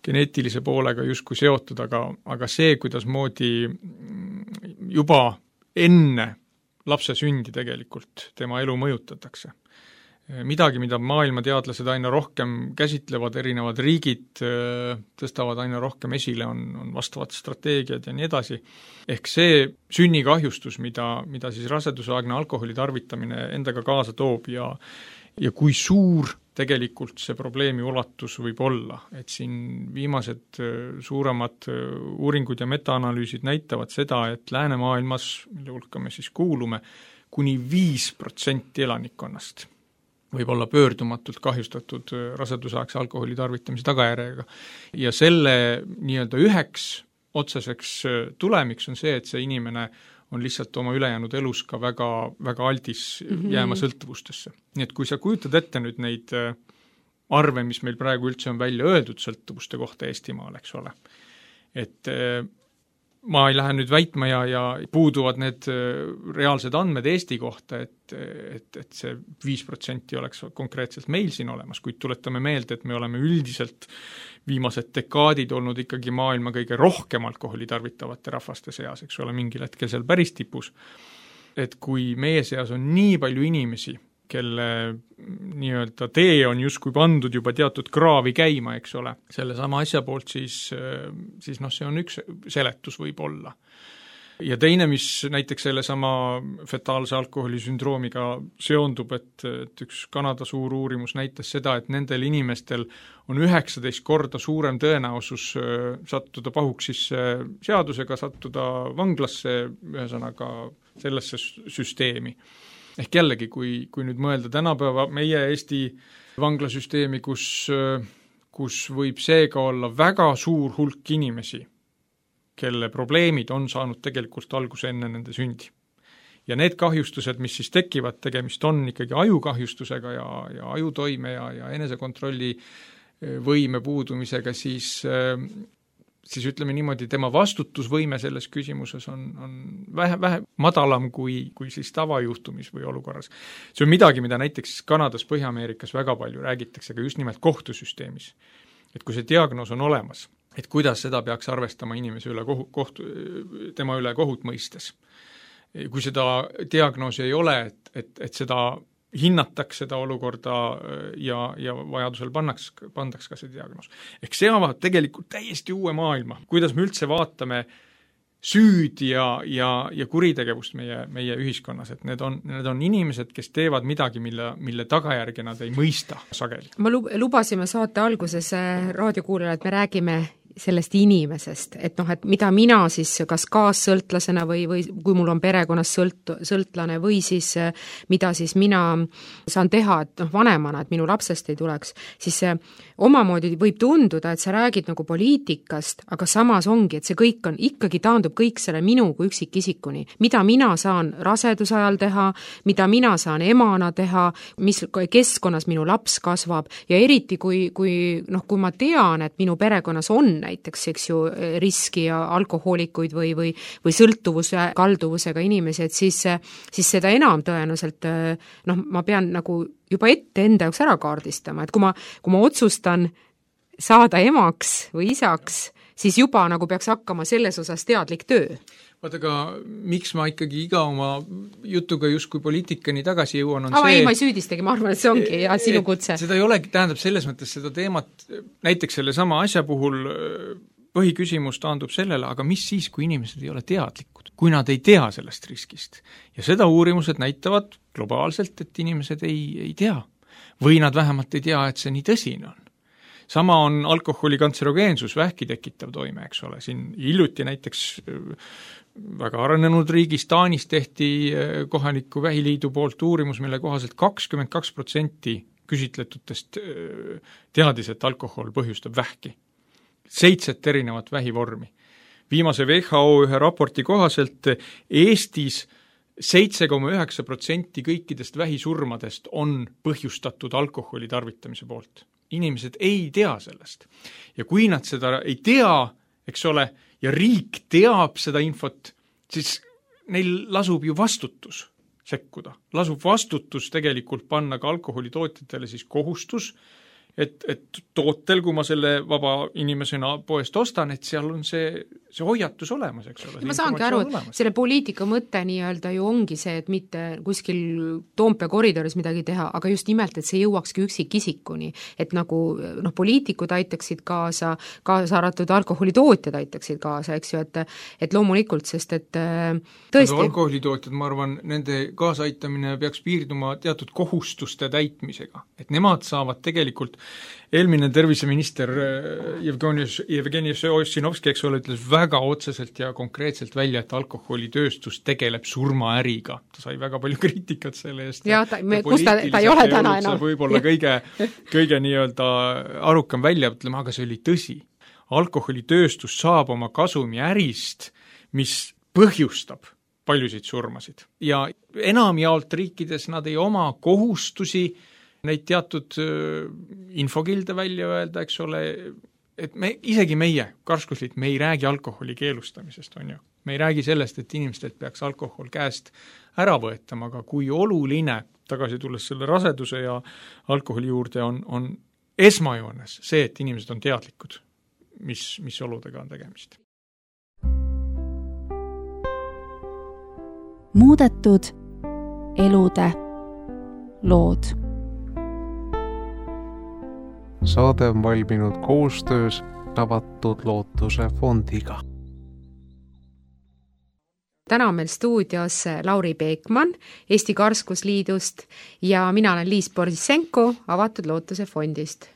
geneetilise poolega justkui seotud, aga, aga see, kuidas moodi juba enne lapse sündi tegelikult tema elu mõjutatakse. Midagi, mida maailma teadlased aina rohkem käsitlevad, erinevad riigid tõstavad aina rohkem esile, on, on vastavad strateegiad ja nii edasi. Ehk see sünnikahjustus, mida, mida siis rasedusaegne alkoholi tarvitamine endaga kaasa toob ja, ja kui suur tegelikult see probleemi ulatus võib olla, et siin viimased suuremad uuringud ja metaanalüüsid näitavad seda, et läänemaailmas, mille hulka me siis kuulume, kuni viis protsenti elanikkonnast võib olla pöördumatult kahjustatud rasedusaegse alkoholi tarvitamise tagajärjega. Ja selle nii-öelda üheks otseseks tulemiks on see, et see inimene on lihtsalt oma ülejäänud elus ka väga, väga aldis jääma sõltuvustesse. Nii et kui sa kujutad ette nüüd neid arve, mis meil praegu üldse on välja öeldud sõltuvuste kohta Eestimaal, eks ole, et ma ei lähe nüüd väitma ja, ja puuduvad need reaalsed andmed Eesti kohta, et, et, et see viis protsenti oleks konkreetselt meil siin olemas, kuid tuletame meelde, et me oleme üldiselt viimased dekaadid olnud ikkagi maailma kõige rohkem alkoholi tarvitavate rahvaste seas, eks ole, mingil hetkel seal päris tipus. Et kui meie seas on nii palju inimesi, kelle nii-öelda tee on justkui pandud juba teatud kraavi käima, eks ole, selle sama asja poolt, siis, siis noh, see on üks seletus võib olla. Ja teine, mis näiteks selle sama fetaalse alkoholisündroomiga seondub, et, et üks Kanada suur uurimus näitas seda, et nendel inimestel on üheksateist korda suurem tõenäosus sattuda pahuks siis seadusega, sattuda vanglasse, ühesõnaga sellesse süsteemi. Ehk jällegi, kui, kui nüüd mõelda tänapäeva meie Eesti vanglasüsteemi, kus, kus võib seega olla väga suur hulk inimesi, kelle probleemid on saanud tegelikult alguse enne nende sündi. Ja need kahjustused, mis siis tekivad, tegemist on ikkagi ajukahjustusega ja, ja ajutoime ja, ja enesekontrolli võime puudumisega, siis siis ütleme niimoodi, tema vastutusvõime selles küsimuses on, on vähe, vähe madalam kui, kui siis tavajuhtumis või olukorras. See on midagi, mida näiteks Kanadas, Põhja-Ameerikas väga palju räägitakse, aga just nimelt kohtusüsteemis. Et kui see diagnoos on olemas, et kuidas seda peaks arvestama inimese üle kohu, kohtu, tema üle kohut mõistes. Kui seda diagnoosi ei ole, et, et, et seda hinnataks seda olukorda ja, ja vajadusel pannaks, pandaks ka see diagnoos. Ehk see avab tegelikult täiesti uue maailma, kuidas me üldse vaatame süüd ja, ja, ja kuritegevust meie, meie ühiskonnas, et need on, need on inimesed, kes teevad midagi, mille, mille tagajärge nad ei mõista sageli. Ma lubasime saate alguses raadiokuulajale, et me räägime sellest inimesest, et noh, et mida mina siis kas kaassõltlasena või, või kui mul on perekonnas sõlt, sõltlane või siis mida siis mina saan teha, et noh, vanemana, et minu lapsest ei tuleks, siis omamoodi võib tunduda, et sa räägid nagu poliitikast, aga samas ongi, et see kõik on, ikkagi taandub kõik selle minu kui üksikisikuni. Mida mina saan raseduse ajal teha, mida mina saan emana teha, mis keskkonnas minu laps kasvab ja eriti kui, kui, noh, kui ma tean, et minu perekonnas on näiteks, eks ju, riski ja alkohoolikuid või, või, või sõltuvuse, kalduvusega inimesi, et siis, siis seda enam tõenäoliselt, noh, ma pean nagu juba ette enda jaoks ära kaardistama, et kui ma, kui ma otsustan saada emaks või isaks, siis juba nagu peaks hakkama selles osas teadlik töö. Vaat aga miks ma ikkagi iga oma jutuga justkui poliitikani tagasi jõuan, on Ava, see... ei, ma ei süüdistagi, ma arvan, et see ongi ja sinu kutse. Seda ei olegi, tähendab selles mõttes seda teemat, näiteks selle sama asja puhul põhiküsimus taandub sellele, aga mis siis, kui inimesed ei ole teadlikud, kui nad ei tea sellest riskist. Ja seda uurimused näitavad globaalselt, et inimesed ei, ei tea. Või nad vähemalt ei tea, et see nii tõsine on. Sama on alkoholi kantserogeensus, vähki tekitav toime, eks ole. Siin hiljuti näiteks väga arenenud riigis Taanis tehti kohaliku vähiliidu poolt uurimus, mille kohaselt kakskümmend kaks protsenti küsitletutest teadis, et alkohol põhjustab vähki. Seitset erinevat vähivormi. viimase W H O ühe raporti kohaselt Eestis seitse koma üheksa protsenti kõikidest vähisurmadest on põhjustatud alkoholi tarvitamise poolt. Inimesed ei tea sellest. Ja kui nad seda ei tea, eks ole, ja riik teab seda infot, siis neil lasub ju vastutus sekkuda. Lasub vastutus tegelikult panna ka alkoholitootjatele siis kohustus, et, et tootel, kui ma selle vaba inimesena poest ostan, et seal on see, see hoiatus olemas, eks ole. Ma saangi aru, et selle poliitika mõte nii-öelda ju ongi see, et mitte kuskil Toompea koridoris midagi teha, aga just nimelt, et see jõuakski üksikisikuni, et nagu noh, poliitikud aitaksid kaasa, kaasa arvatud alkoholitootjad aitaksid kaasa, eks ju, et, et loomulikult, sest et tõesti no, alkoholitootjad, ma arvan, nende kaasaitamine peaks piirduma teatud kohustuste täitmisega, et nemad saavad tegelikult eelmine terviseminister Jevgeni, Jevgeni Ossinovski, eks ole, ütles väga otseselt ja konkreetselt välja, et alkoholitööstus tegeleb surmaäriga. Ta sai väga palju kriitikat selle eest. Ja, ta, me, kus ta, ta ei ole täna enam. Võib-olla kõige, kõige nii-öelda arukam välja, ütleme, aga see oli tõsi. Alkoholitööstus saab oma kasumi ärist, mis põhjustab paljusid surmasid. Ja enamjaolt riikides nad ei oma kohustusi neid teatud infokilde välja öelda, eks ole, et me, isegi meie, Karskusliit, me ei räägi alkoholi keelustamisest, on ju. Me ei räägi sellest, et inimestelt peaks alkohol käest ära võetama, aga kui oluline, tagasi tulles selle raseduse ja alkoholi juurde, on, on esmajoones see, et inimesed on teadlikud, mis, mis oludega on tegemist. Muudetud elude lood. Saade on valminud koostöös Avatud Lootuse fondiga. Täna on meil stuudios Lauri Peekman Eesti Karskusliidust ja mina olen Liis Borzisenko Avatud Lootuse fondist.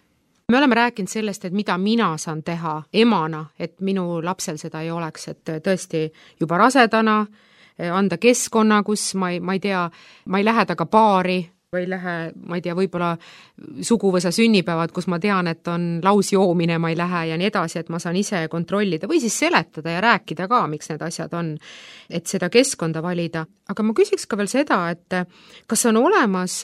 Me oleme rääkinud sellest, et mida mina saan teha emana, et minu lapsel seda ei oleks, et tõesti juba rasedana anda keskkonna, kus ma ei, ma ei tea, ma ei lähe taga baari, või lähe, ma ei tea, võib-olla suguvõsa sünnipäevad, kus ma tean, et on lausjoomine, ma ei lähe ja nii edasi, et ma saan ise kontrollida või siis seletada ja rääkida ka, miks need asjad on, et seda keskkonda valida. Aga ma küsiks ka veel seda, et kas on olemas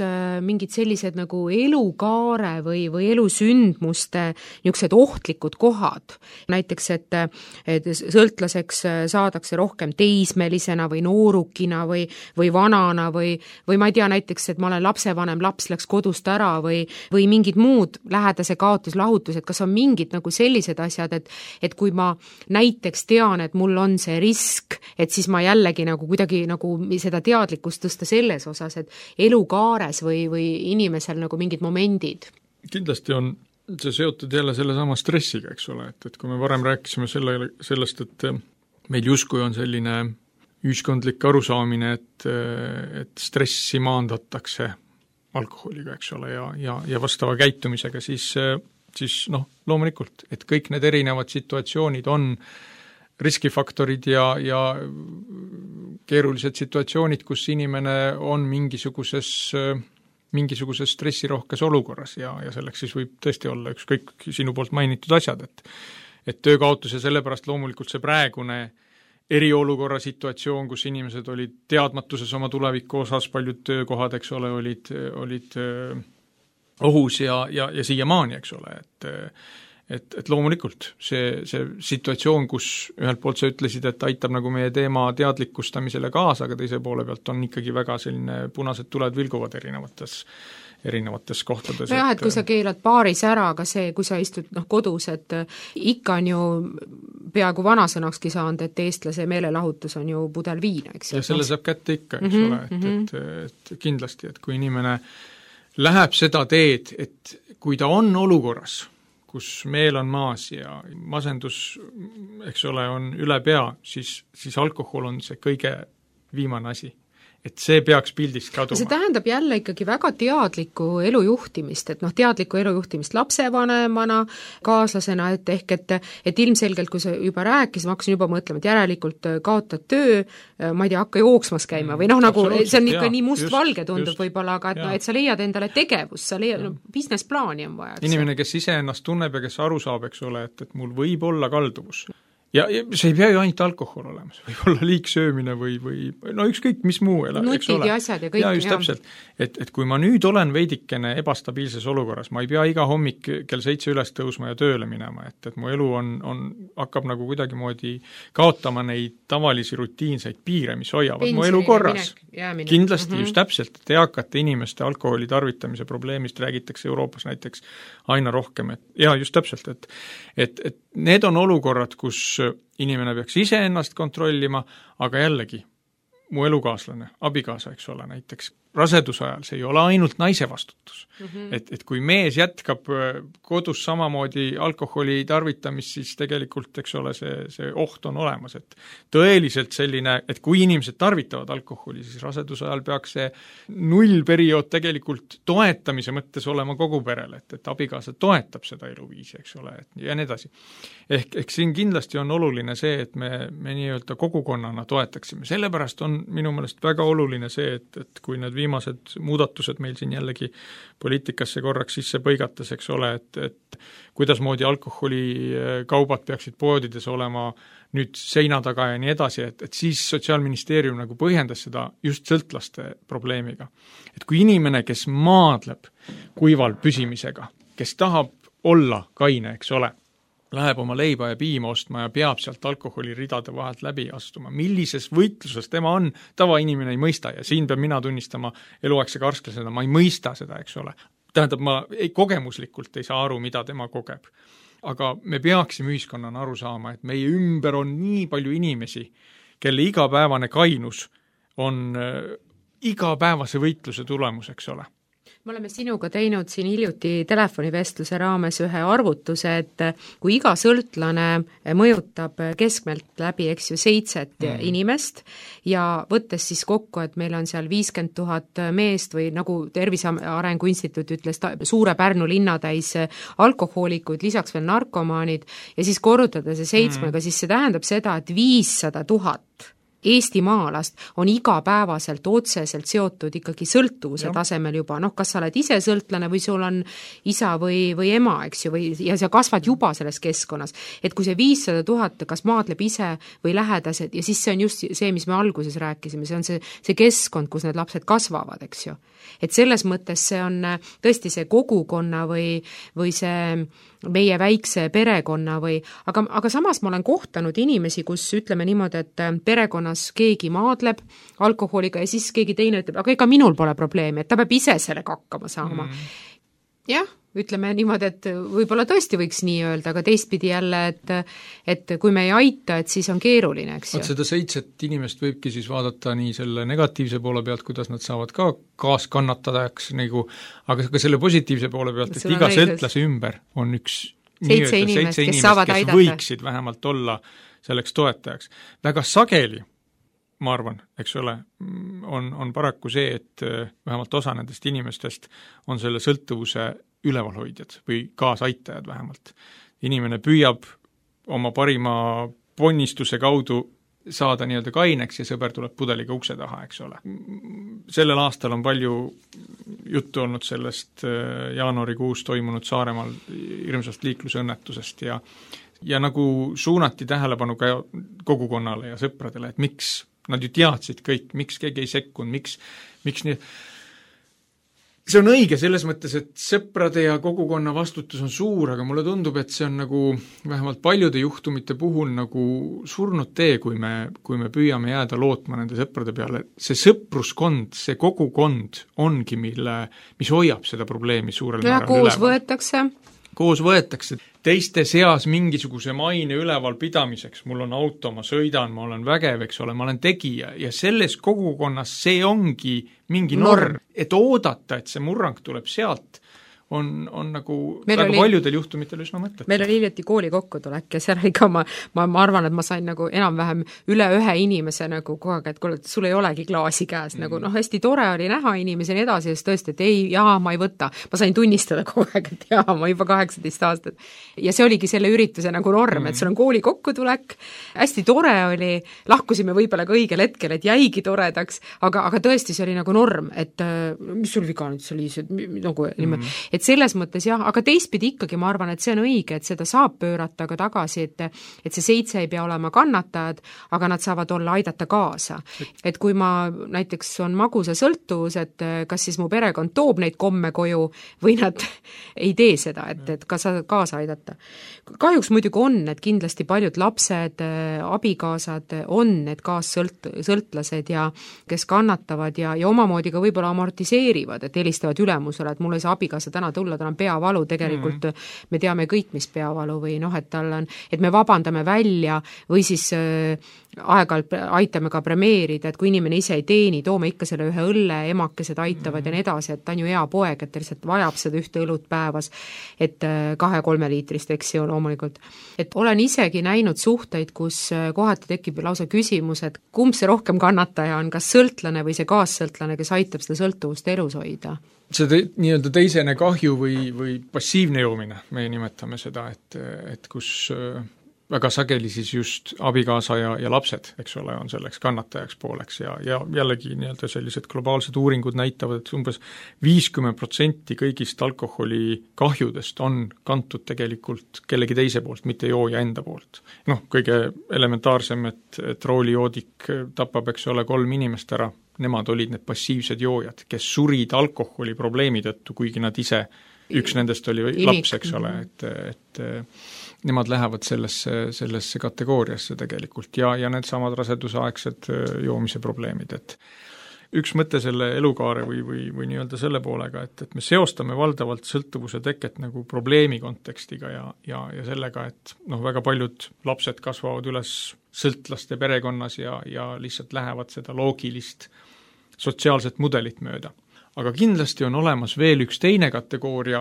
mingid sellised nagu elukaare või, või elusündmuste niisugused ohtlikud kohad. Näiteks, et, et sõltlaseks saadakse rohkem teismelisena või noorukina või, või vanana või, või ma ei tea näiteks, et ma olen lapsevanem, laps läks kodust ära või, või mingid muud lähedase kaotuslahutused, kas on mingid nagu sellised asjad, et, et kui ma näiteks tean, et mul on see risk, et siis ma jällegi nagu kuidagi nagu seda teadlikkust tõsta selles osas, et elukaares või, või inimesel nagu mingid momendid. Kindlasti on see seotud jälle selle sama stressiga, eks ole, et, et kui me varem rääkisime selle, sellest, et meil justkui on selline ühiskondlik arusaamine, et, et stressi maandatakse alkoholiga, eks ole, ja, ja, ja vastava käitumisega, siis, siis noh, loomulikult, et kõik need erinevad situatsioonid on riskifaktorid ja, ja keerulised situatsioonid, kus inimene on mingisuguses, mingisuguses stressirohkes olukorras ja, ja selleks siis võib tõesti olla ükskõik sinu poolt mainitud asjad, et, et töökaotus ja sellepärast loomulikult see praegune eriolukorra situatsioon, kus inimesed olid teadmatuses oma tuleviku osas, paljud töökohad, eks ole, olid, olid ohus ja, ja, ja siiamaani, eks ole, et et, et loomulikult see, see situatsioon, kus ühelt poolt sa ütlesid, et aitab nagu meie teema teadlikustamisele kaasa, aga teise poole pealt on ikkagi väga selline punased tuled vilguvad erinevates erinevates kohtades. Nojah, et kui sa keelad baaris ära, aga see, kui sa istud noh, kodus, et ikka on ju peaaegu vanasõnakski saanud, et eestlase meelelahutus on ju pudel viina, eks. Ja selle saab kätte ikka, eks mm-hmm, ole, et, mm-hmm. et, et kindlasti, et kui inimene läheb seda teed, et kui ta on olukorras, kus meel on maas ja masendus, eks ole, on üle pea, siis, siis alkohol on see kõige viimane asi. Et see peaks pildist kaduma. See tähendab jälle ikkagi väga teadlikku elujuhtimist, et noh, teadlikku elujuhtimist lapsevanemana, kaaslasena, et ehk, et, et ilmselgelt, kui sa juba rääkis, ma hakkasin juba mõtlema, et järelikult kaotad töö, ma ei tea, hakka jooksmas käima või noh, nagu see on ikka jah, nii mustvalge tundub võib-olla, aga et, no, et sa leiad endale tegevust, sa leiad, no, business plaani on vaja. Inimene, kes ise ennast tunneb ja kes aru saab, eks ole, et, et mul võib olla kalduvus ja, ja see ei pea ju ainult alkohol olema, see võib olla liigsöömine või, või no ükskõik, mis muu ela, nutid ja asjad ja kõik. ja just ja. Täpselt, et, et kui ma nüüd olen veidikene ebastabiilses olukorras, ma ei pea iga hommik kell seitse üles tõusma ja tööle minema, et, et mu elu on, on, hakkab nagu kuidagimoodi kaotama neid tavalisi rutiinseid piire, mis hoiavad Pensioni mu elu korras. Kindlasti mm-hmm. just täpselt, et eakate inimeste alkoholi tarvitamise probleemist räägitakse Euroopas näiteks aina rohkem, et ja just täpselt, et, et, et need on olukorrad, kus inimene peaks ise ennast kontrollima, aga jällegi, mu elukaaslane, abikaasa, eks ole, näiteks raseduse ajal, see ei ole ainult naise vastutus. Mm-hmm. Et, et kui mees jätkab kodus samamoodi alkoholi tarvitamist, siis tegelikult, eks ole, see, see oht on olemas, et tõeliselt selline, et kui inimesed tarvitavad alkoholi, siis raseduse ajal peaks see nullperiood tegelikult toetamise mõttes olema kogu perele, et, et abikaasa toetab seda eluviisi, eks ole, et ja nii edasi. Ehk, ehk siin kindlasti on oluline see, et me, me nii-öelda kogukonnana toetaksime. Sellepärast on minu meelest väga oluline see, et, et kui need viimased muudatused meil siin jällegi poliitikasse korraks sisse põigates, eks ole, et, et kuidas moodi alkoholikaubad peaksid poodides olema nüüd seina taga ja nii edasi, et, et siis Sotsiaalministeerium nagu põhjendas seda just sõltlaste probleemiga. Et kui inimene, kes maadleb kuival püsimisega, kes tahab olla kaine, eks ole, läheb oma leiba ja piima ostma ja peab sealt alkoholiridade vahelt läbi astuma. Millises võitluses tema on, tavainimene ei mõista ja siin peab mina tunnistama eluaegse karsklasena, ma ei mõista seda, eks ole. Tähendab, ma ei, kogemuslikult ei saa aru, mida tema kogeb. Aga me peaksime ühiskonnana aru saama, et meie ümber on nii palju inimesi, kelle igapäevane kainus on äh, igapäevase võitluse tulemus, eks ole. Me oleme sinuga teinud siin hiljuti telefonivestluse raames ühe arvutuse, et kui iga sõltlane mõjutab keskmelt läbi, eks ju, seitset mm. inimest ja võttes siis kokku, et meil on seal viiskümmend tuhat meest või nagu Tervise Arengu Instituut ütles, suure Pärnu linnatäis alkohoolikuid, lisaks veel narkomaanid ja siis korrutada see seitsmega, mm. siis see tähendab seda, et viissada tuhat eestimaalast on igapäevaselt otseselt seotud ikkagi sõltuvuse ja. Tasemel juba, noh, kas sa oled ise sõltlane või sul on isa või, või ema, eks ju, või, ja sa kasvad juba selles keskkonnas. Et kui see viissada tuhat kas maadleb ise või lähedased ja siis see on just see, mis me alguses rääkisime, see on see, see keskkond, kus need lapsed kasvavad, eks ju. Et selles mõttes see on tõesti see kogukonna või, või see meie väikse perekonna või, aga, aga samas ma olen kohtanud inimesi, kus ütleme niimoodi, et perekonnas keegi maadleb alkoholiga ja siis keegi teine ütleb, aga ega minul pole probleemi, et ta peab ise sellega hakkama saama. Mm. Jah, ütleme niimoodi, et võib-olla tõesti võiks nii öelda, aga teistpidi jälle, et, et kui me ei aita, et siis on keeruline, eks ju. Seda seitset inimest võibki siis vaadata nii selle negatiivse poole pealt, kuidas nad saavad ka kaaskannatajaks, nagu, aga ka selle positiivse poole pealt, et iga sõltlase ümber on üks seitse inimest, kes saavad kes aidata. Võiksid vähemalt olla selleks toetajaks. Väga sageli, ma arvan, eks ole, on, on paraku see, et vähemalt osa nendest inimestest on selle sõltuvuse ülevalhoidjad või kaasaitajad vähemalt. Inimene püüab oma parima ponnistuse kaudu saada nii-öelda kaineks ja sõber tuleb pudeliga ukse taha, eks ole. Sellel aastal on palju juttu olnud sellest jaanuarikuus toimunud Saaremaal hirmsast liiklusõnnetusest ja, ja nagu suunati tähelepanu ka kogukonnale ja sõpradele, et miks nad ju teadsid kõik, miks keegi ei sekkunud, miks, miks nii see on õige selles mõttes, et sõprade ja kogukonna vastutus on suur, aga mulle tundub, et see on nagu vähemalt paljude juhtumite puhul nagu surnud tee, kui me, kui me püüame jääda lootma nende sõprade peale. See sõpruskond, see kogukond ongi, mille, mis hoiab seda probleemi suurel ja määral koos üleval. Võetakse. Koos võetakse teiste seas mingisuguse maine üleval pidamiseks. Mul on auto, ma sõidan, ma olen vägev, eks ole, ma olen tegija ja selles kogukonnas see ongi mingi norm, norm. Et oodata, et see murrang tuleb sealt, on, on nagu meil väga oli, paljudel juhtumitel üsna mõtlet. Meil oli hiljuti kooli kokkutulek ja seal ikka ma, ma, ma arvan, et ma sain nagu enam-vähem üle ühe inimese nagu kogu aeg, et kuule, sul ei olegi klaasi käes, mm. nagu noh, hästi tore oli näha inimesi ja nii edasi, ja tõesti, et ei, jaa, ma ei võta. Ma sain tunnistada kogu aeg, et jaa, ma juba kaheksateist aastat. Ja see oligi selle ürituse nagu norm, mm. et sul on kooli kokkutulek, hästi tore oli, lahkusime võib-olla ka õigel hetkel, et jäigi toredaks, aga, aga tõesti see oli nagu norm, et mis sul viga nüüd see oli, nagu, mm. et et selles mõttes jah, aga teistpidi ikkagi ma arvan, et see on õige, et seda saab pöörata ka tagasi, et et see seitse ei pea olema kannatajad, aga nad saavad olla aidata kaasa. Et kui ma näiteks on magusa sõltuvus, et kas siis mu perekond toob neid komme koju või nad ei tee seda, et, et ka sa kaasa aidata. Kahjuks muidugi on, et kindlasti paljud lapsed, abikaasad on need kaassõlt, sõltlased ja kes kannatavad ja, ja omamoodi ka võib-olla amortiseerivad, et helistavad ülemusele, et mul ei saa abikaasa täna tulla, tal on peavalu, tegelikult mm. me teame kõik, mis peavalu või noh, et tal on, et me vabandame välja või siis äh, aeg-ajalt aitame ka premeerida, et kui inimene ise ei teeni, toome ikka selle ühe õlle, emakesed aitavad mm. ja nii edasi, et ta on ju hea poeg, et ta lihtsalt vajab seda ühte õlut päevas, et kahe-kolme liitrist, eks ju, loomulikult. Et olen isegi näinud suhteid, kus kohati tekib lausa küsimus, et kumb see rohkem kannataja on, kas sõltlane või see kaassõltlane, kes aitab seda sõltuvust elus hoida? See te, nii-öelda teisene kahju või, või passiivne joomine, me nimetame seda, et, et kus väga sageli siis just abikaasa ja, ja lapsed, eks ole, on selleks kannatajaks pooleks ja, ja jällegi nii-öelda sellised globaalsed uuringud näitavad, et umbes viiskümmend protsenti kõigist alkoholi kahjudest on kantud tegelikult kellegi teise poolt, mitte jooja enda poolt. Noh, kõige elementaarsem, et, et roolijoodik tapab, eks ole, kolm inimest ära, nemad olid need passiivsed joojad, kes surid alkoholi probleemi tõttu, kuigi nad ise, üks nendest oli laps, eks ole, et, et nemad lähevad sellesse, sellesse kategooriasse tegelikult ja, ja need samad rasedusaegsed joomise probleemid, et üks mõte selle elukaare või, või, või nii-öelda selle poolega, et, et me seostame valdavalt sõltuvuse teket nagu probleemi kontekstiga ja, ja, ja sellega, et noh, väga paljud lapsed kasvavad üles sõltlaste perekonnas ja, ja lihtsalt lähevad seda loogilist sotsiaalset mudelit mööda. Aga kindlasti on olemas veel üks teine kategooria,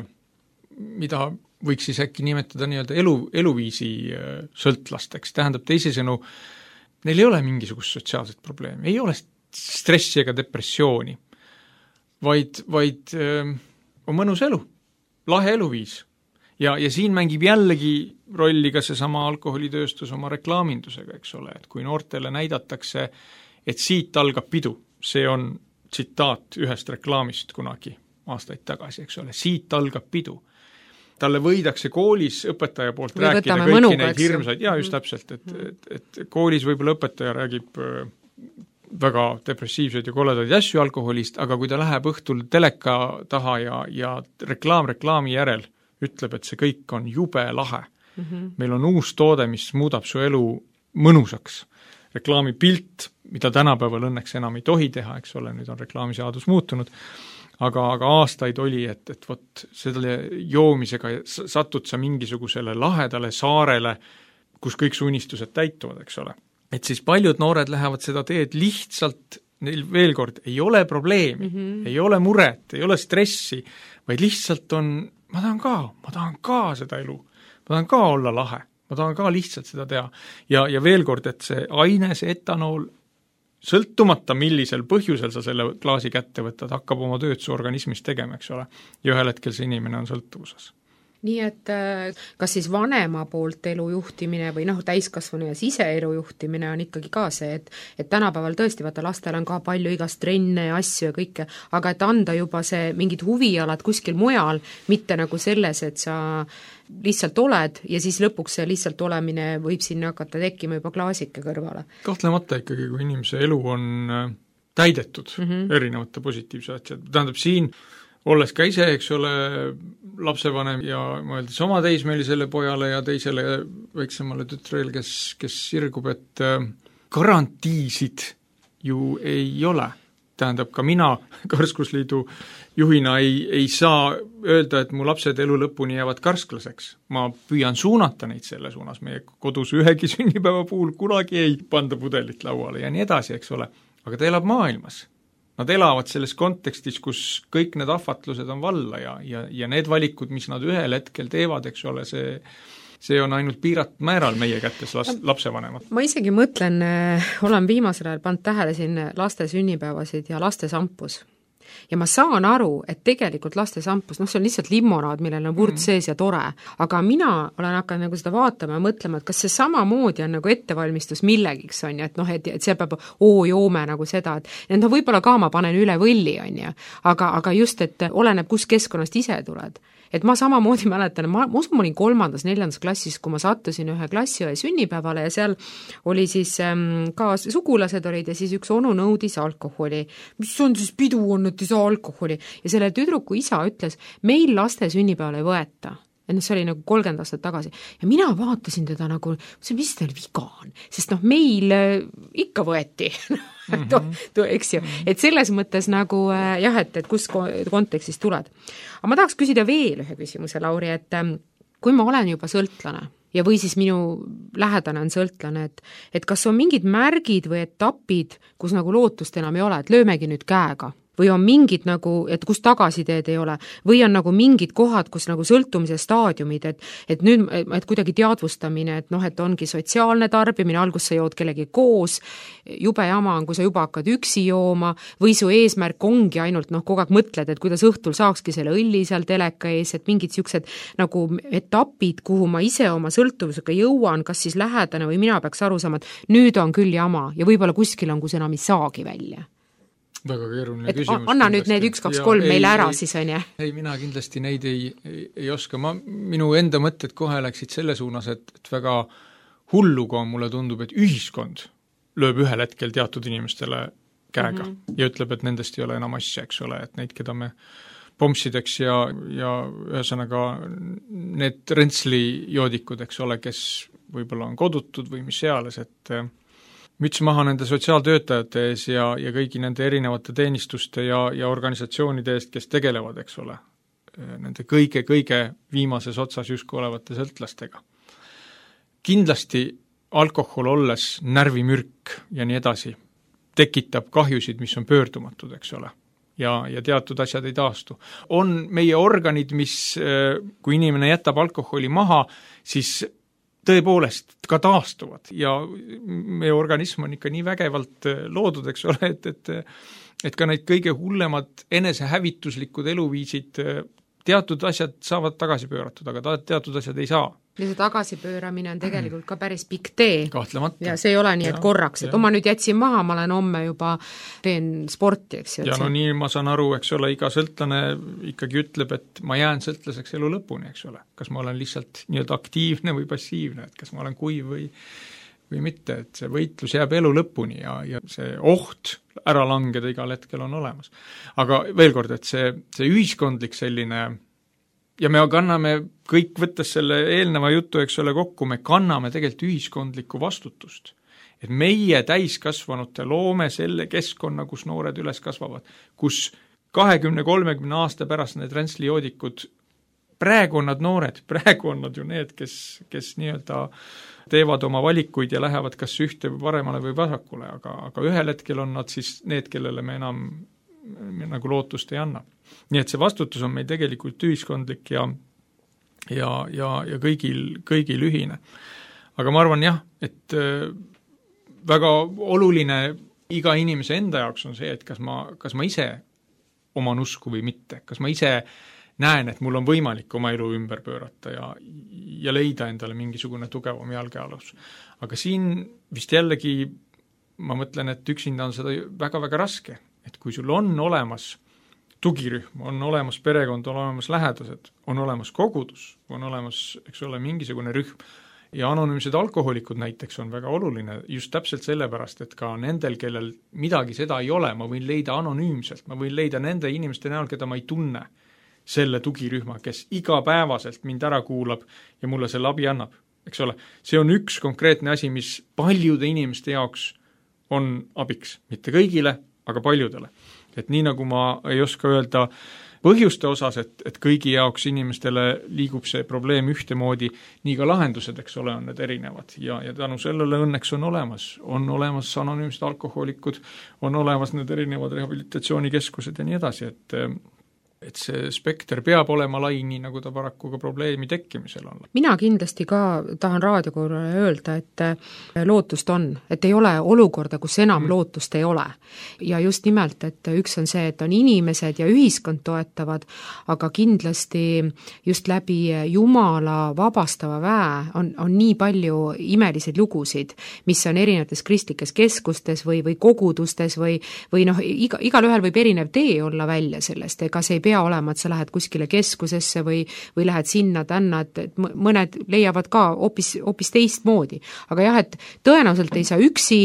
mida võiks siis äkki nimetada nii-öelda elu, eluviisi sõltlasteks. Tähendab teisisõnu, neil ei ole mingisugust sotsiaalset probleemi, ei ole stressi ega depressiooni, vaid, vaid öö, on mõnus elu, lahe eluviis. Ja, ja siin mängib jällegi rolli ka seesama alkoholitööstus oma reklaamindusega, eks ole, et kui noortele näidatakse, et siit algab pidu, see on tsitaat ühest reklaamist kunagi aastaid tagasi, eks ole, siit algab pidu. Talle võidakse koolis õpetaja poolt või rääkida kõiki mõnuga, neid hirmsaid, jaa, just täpselt, et, et, et koolis võib-olla õpetaja räägib väga depressiivseid ja koledaid asju alkoholist, aga kui ta läheb õhtul teleka taha ja, ja reklaam reklaami järel ütleb, et see kõik on jube lahe. Mm-hmm. Meil on uus toode, mis muudab su elu mõnusaks. Reklaamipilt, mida tänapäeval õnneks enam ei tohi teha, eks ole, nüüd on reklaamiseadus muutunud, aga, aga aastaid oli, et, et vot selle joomisega satud sa mingisugusele lahedale saarele, kus kõik su unistused täituvad, eks ole. Et siis paljud noored lähevad seda teed lihtsalt, neil veel kord ei ole probleemi, mm-hmm. ei ole muret, ei ole stressi, vaid lihtsalt on, ma tahan ka, ma tahan ka seda elu, ma tahan ka olla lahe, ma tahan ka lihtsalt seda teha. Ja, ja veel kord, et see aine, see etanool, sõltumata millisel põhjusel sa selle klaasi kätte võtad, hakkab oma tööd su organismis tegema, eks ole. Ja ühel hetkel see inimene on sõltuvuses. Nii et kas siis vanema poolt elu juhtimine või noh, täiskasvanu ja siseelu juhtimine on ikkagi ka see, et, et tänapäeval tõesti, vaata lastel on ka palju igast trenne ja asju ja kõike, aga et anda juba see mingid huvialad kuskil mujal, mitte nagu selles, et sa lihtsalt oled ja siis lõpuks see lihtsalt olemine võib sinna hakata tekkima juba klaasike kõrvale. Kahtlemata ikkagi, kui inimese elu on täidetud mm-hmm. erinevate positiivse asjad, tähendab siin olles ka ise, eks ole, lapsevanem ja mõeldes oma teismelisele pojale ja teisele väiksemale tütrel, kes, kes sirgub, et garantiisid ju ei ole. Tähendab, ka mina Karskusliidu juhina ei, ei saa öelda, et mu lapsed elu lõpuni jäävad karsklaseks. Ma püüan suunata neid selle suunas. Meie kodus ühegi sünnipäeva puhul kunagi ei panda pudelit lauale ja nii edasi, eks ole. Aga ta elab maailmas. Nad elavad selles kontekstis, kus kõik need ahvatlused on valla ja, ja, ja need valikud, mis nad ühel hetkel teevad, eks ole, see, see on ainult piiratud määral meie kätes las, lapsevanemad. Ma isegi mõtlen, olen viimasel ajal pannud tähele siin laste sünnipäevasid ja laste sampus. ja ma saan aru, et tegelikult laste sampus, noh, see on lihtsalt limonaad, millel on vurd sees ja tore, aga mina olen hakanud nagu seda vaatama ja mõtlema, et kas see samamoodi on nagu ettevalmistus millegiks, on ju, et noh, et, et see peab oo joome nagu seda, et, et noh, võib-olla ka ma panen üle võlli, on ju, aga, aga just, et oleneb, kus keskkonnast ise tuled. Et ma samamoodi mäletan, ma, ma usun, ma olin kolmandas, neljandas klassis, kui ma sattusin ühe klassiõe sünnipäevale ja seal oli siis ähm, ka sugulased olid ja siis üks onu nõudis alkoholi. Mis on siis pidu on, et ei saa alkoholi? Ja selle tüdruku isa ütles, meil laste sünnipäeval ei võeta. Et noh, see oli nagu kolmkümmend aastat tagasi. Ja mina vaatasin teda nagu, mis teil viga on? Sest noh, meil ikka võeti. Mm-hmm. Eks ju, et selles mõttes nagu jah, et, et kus kontekstis tuled. Aga ma tahaks küsida veel ühe küsimuse, Lauri, et kui ma olen juba sõltlane ja või siis minu lähedane on sõltlane, et, et kas on mingid märgid või etapid, kus nagu lootust enam ei ole, et löömegi nüüd käega? Või on mingid nagu, et kus tagasiteed ei ole, või on nagu mingid kohad, kus nagu sõltumise staadiumid, et, et nüüd, et kuidagi teadvustamine, et noh, et ongi sotsiaalne tarbimine, algus sa jood kellegi koos, jube jama on, kui sa juba hakkad üksi jooma, või su eesmärk ongi ainult noh, kogu aeg mõtled, et kuidas õhtul saakski selle õlli seal teleka ees, et mingid siuksed nagu etapid, kuhu ma ise oma sõltuvusega jõuan, kas siis lähedane või mina peaks aru saama, et nüüd on küll jama ja võib-olla kuskil on, kus enam ei saagi välja. Väga keeruline et küsimus. Anna nüüd need üks, kaks, kolm meile ära ei, siis, on jah? Ei, mina kindlasti neid ei, ei, ei oska. Ma, minu enda mõtted kohe läksid selle suunas, et, et väga hulluga mulle tundub, et ühiskond lööb ühel hetkel teatud inimestele käega mm -hmm. ja ütleb, et nendest ei ole enam asja, eks ole, et neid, keda me pompsideks ja, ja ühesõnaga need rentsli joodikud, eks ole, kes võib-olla on kodutud või mis seales, et müts maha nende sotsiaaltöötajate ees ja, ja kõigi nende erinevate teenistuste ja, ja organisatsioonide eest, kes tegelevad, eks ole, nende kõige-kõige viimases otsas justkui olevate sõltlastega. Kindlasti alkohol olles närvimürk ja nii edasi tekitab kahjusid, mis on pöördumatud, eks ole, ja, ja teatud asjad ei taastu. On meie organid, mis, kui inimene jätab alkoholi maha, siis tõepoolest ka taastuvad ja meie organism on ikka nii vägevalt loodud, eks ole, et, et, et ka neid kõige hullemad enesehävituslikud eluviisid, teatud asjad saavad tagasi pööratud, aga teatud asjad ei saa. Ja see tagasipööramine on tegelikult ka päris pikk tee. Kahtlemata. Ja see ei ole nii, et ja, korraks, et ja. oma nüüd jätsin maha, ma olen homme juba teen sporti, eks ju. Ja no nii ma saan aru, eks ole, iga sõltlane ikkagi ütleb, et ma jään sõltlaseks elu lõpuni, eks ole. Kas ma olen lihtsalt nii-öelda aktiivne või passiivne, et kas ma olen kuiv või, või mitte, et see võitlus jääb elu lõpuni ja, ja see oht ära langeda igal hetkel on olemas. Aga veel kord, et see, see ühiskondlik selline ja me kanname kõik, võttes selle eelneva jutu, eks ole, kokku, me kanname tegelikult ühiskondlikku vastutust. Et meie täiskasvanute loome selle keskkonna, kus noored üles kasvavad, kus kahekümne kolmekümne aasta pärast need rentslijoodikud, praegu on nad noored, praegu on nad ju need, kes, kes nii-öelda teevad oma valikuid ja lähevad kas ühte paremale või vasakule, aga, aga ühel hetkel on nad siis need, kellele me enam nagu lootust ei anna. Nii et see vastutus on meil tegelikult ühiskondlik ja, ja, ja, ja kõigil, kõigil ühine. Aga ma arvan jah, et väga oluline iga inimese enda jaoks on see, et kas ma, kas ma ise oman usku või mitte, kas ma ise näen, et mul on võimalik oma elu ümber pöörata ja, ja leida endale mingisugune tugevam jalgealus. Aga siin vist jällegi ma mõtlen, et üksinda on seda väga-väga raske. Et kui sul on olemas tugirühm, on olemas perekond, on olemas lähedased, on olemas kogudus, on olemas, eks ole, mingisugune rühm ja anonüümsed alkoholikud näiteks on väga oluline just täpselt sellepärast, et ka nendel, kellel midagi seda ei ole, ma võin leida anonüümselt, ma võin leida nende inimeste näol, keda ma ei tunne, selle tugirühma, kes igapäevaselt mind ära kuulab ja mulle selle abi annab, eks ole. See on üks konkreetne asi, mis paljude inimeste jaoks on abiks, mitte kõigile, aga paljudele. Et nii nagu ma ei oska öelda põhjuste osas, et, et kõigi jaoks inimestele liigub see probleem ühtemoodi, nii ka lahendused, eks ole, on need erinevad. Ja, ja tänu sellele õnneks on olemas. On olemas anonüümsed alkoholikud, on olemas need erinevad rehabilitatsioonikeskused ja nii edasi, et et see spekter peab olema lai, nii nagu ta paraku ka probleemi tekkimisel on. mina kindlasti ka tahan raadiokorrale öelda, et lootust on, et ei ole olukorda, kus enam mm. lootust ei ole. Ja just nimelt, et üks on see, et on inimesed ja ühiskond toetavad, aga kindlasti just läbi Jumala vabastava väe on, on nii palju imeliseid lugusid, mis on erinevates kristlikes keskustes või, või kogudustes või, või noh, iga, igal ühel võib erinev tee olla välja sellest, ega see ei pea olema, et sa lähed kuskile keskusesse või, või lähed sinna tänna, et, et mõned leiavad ka hoopis, hoopis teistmoodi. Aga jah, et tõenäoliselt ei saa üksi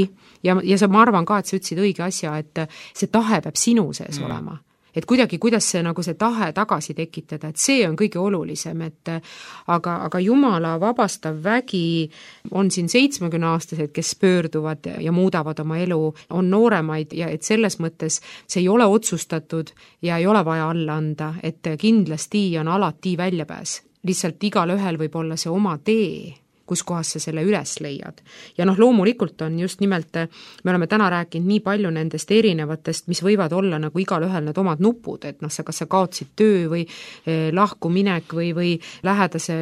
ja, ja sa, ma arvan ka, et sa ütlesid õige asja, et see tahe peab sinu sees mm. olema. Et kuidagi, kuidas see, nagu see tahe tagasi tekitada, et see on kõige olulisem, et aga, aga Jumala vabastav vägi on siin seitsmekümne aastased, kes pöörduvad ja muudavad oma elu, on nooremaid ja et selles mõttes see ei ole otsustatud ja ei ole vaja alla anda, et kindlasti on alati väljapääs. Lihtsalt igal ühel võib olla see oma tee, kus kohas sa selle üles leiad. Ja noh, loomulikult on just nimelt, me oleme täna rääkinud nii palju nendest erinevatest, mis võivad olla nagu igal ühel need omad nupud, et noh, sa kas sa kaotsid töö või eh, lahkuminek või, või lähedase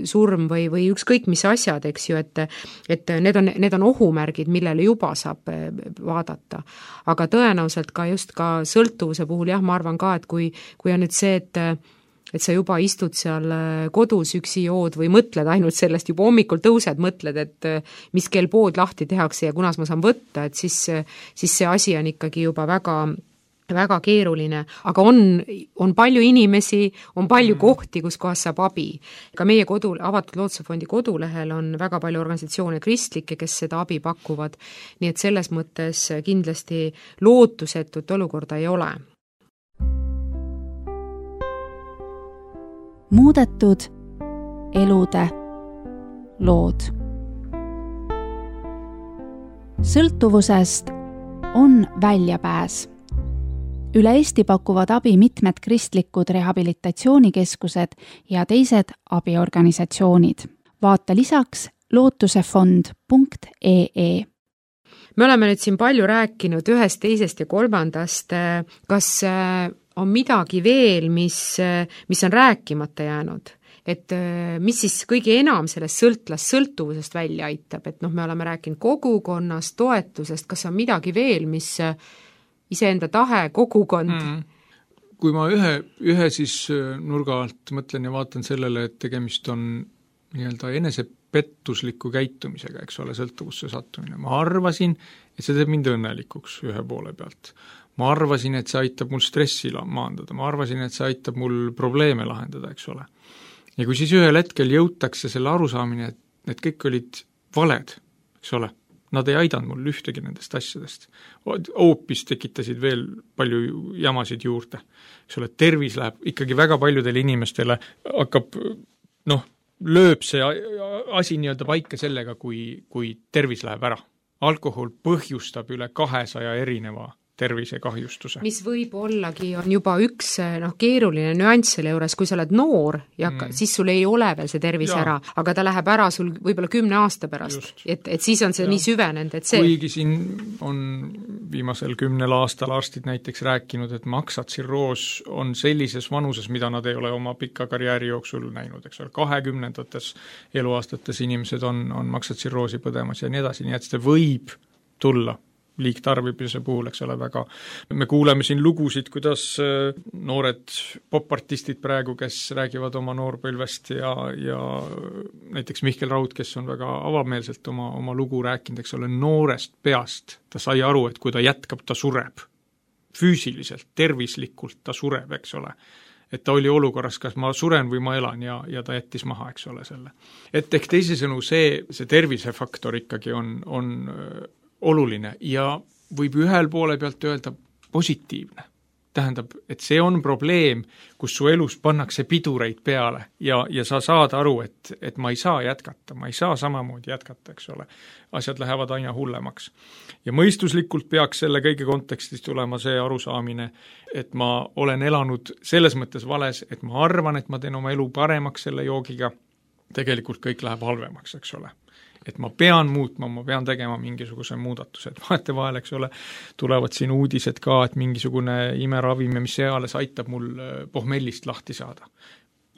surm või, või ükskõik mis asjad, eks ju, et, et need on, need on ohumärgid, millele juba saab vaadata. Aga tõenäoliselt ka just ka sõltuvuse puhul, jah, ma arvan ka, et kui, kui on nüüd see, et et sa juba istud seal kodus üksi jood või mõtled ainult sellest, juba hommikul tõused, mõtled, et mis kell pood lahti tehakse ja kunas ma saan võtta, et siis, siis see asi on ikkagi juba väga, väga keeruline. Aga on, on palju inimesi, on palju mm. kohti, kus kohas saab abi. Ka meie kodu, avatud Lootuse fondi kodulehel on väga palju organisatsioone kristlikke, kes seda abi pakuvad. Nii et selles mõttes kindlasti lootusetut olukorda ei ole. Muudetud elude lood. Sõltuvusest on väljapääs. Üle Eesti pakuvad abi mitmed kristlikud rehabilitatsioonikeskused ja teised abiorganisatsioonid. Vaata lisaks lootusefond punkt ee. Me oleme nüüd siin palju rääkinud ühest, teisest ja kolmandast. Kas on midagi veel, mis, mis on rääkimata jäänud? Et mis siis kõige enam sellest sõltlas sõltuvusest välja aitab? Et noh, me oleme rääkinud kogukonnast, toetusest. Kas on midagi veel, mis iseenda tahe, kogukond? Mm. Kui ma ühe, ühe siis nurga alt mõtlen ja vaatan sellele, et tegemist on nii-öelda enesepettusliku käitumisega, eks ole, sõltuvusse sattumine. Ma arvasin, et see teeb mind õnnelikuks ühe poole pealt. Ma arvasin, et see aitab mul stressi maandada, ma arvasin, et see aitab mul probleeme lahendada, eks ole. Ja kui siis ühel hetkel jõutakse selle arusaamine, et need kõik olid valed, eks ole, nad ei aidanud mul ühtegi nendest asjadest. Hoopis tekitasid veel palju jamasid juurde. Eks ole, tervis läheb ikkagi väga paljudele inimestele, hakkab, noh, lööb see asi nii-öelda paika sellega, kui, kui tervis läheb ära. Alkohol põhjustab üle kahesaja erineva tervisekahjustuse. Mis võib ollagi, on juba üks noh, keeruline nüanss selle juures, kui sa oled noor ja mm. siis sul ei ole veel see tervis ja. Ära, aga ta läheb ära sul võib-olla kümne aasta pärast, et, et siis on see ja. Nii süvenenud, et see kuigi siin on viimasel kümnel aastal arstid näiteks rääkinud, et maksatsirroos on sellises vanuses, mida nad ei ole oma pika karjääri jooksul näinud, eks ole, kahekümnendates eluaastates inimesed on, on maksatsirroosi põdemas ja nii edasi, nii et see võib tulla liigtarvimise puhul, eks ole, väga. Me kuuleme siin lugusid, kuidas noored popartistid praegu, kes räägivad oma noorpõlvest ja, ja näiteks Mihkel Raud, kes on väga avameelselt oma, oma lugu rääkinud, eks ole, noorest peast. Ta sai aru, et kui ta jätkab, ta sureb. Füüsiliselt, tervislikult ta sureb, eks ole. Et ta oli olukorras, kas ma suren või ma elan ja, ja ta jättis maha, eks ole, selle. Et ehk teisisõnu see, see tervisefaktor ikkagi on, on oluline ja võib ühel poole pealt öelda positiivne. Tähendab, et see on probleem, kus su elus pannakse pidureid peale ja, ja sa saad aru, et, et ma ei saa jätkata, ma ei saa samamoodi jätkata, eks ole. Asjad lähevad aina hullemaks. Ja mõistuslikult peaks selle kõige kontekstis tulema see arusaamine, et ma olen elanud selles mõttes vales, et ma arvan, et ma teen oma elu paremaks selle joogiga, tegelikult kõik läheb halvemaks, eks ole. et ma pean muutma, ma pean tegema mingisuguse muudatuse, et vahetevahel, eks ole, tulevad siin uudised ka, et mingisugune imeravim, mis eales aitab mul pohmellist lahti saada.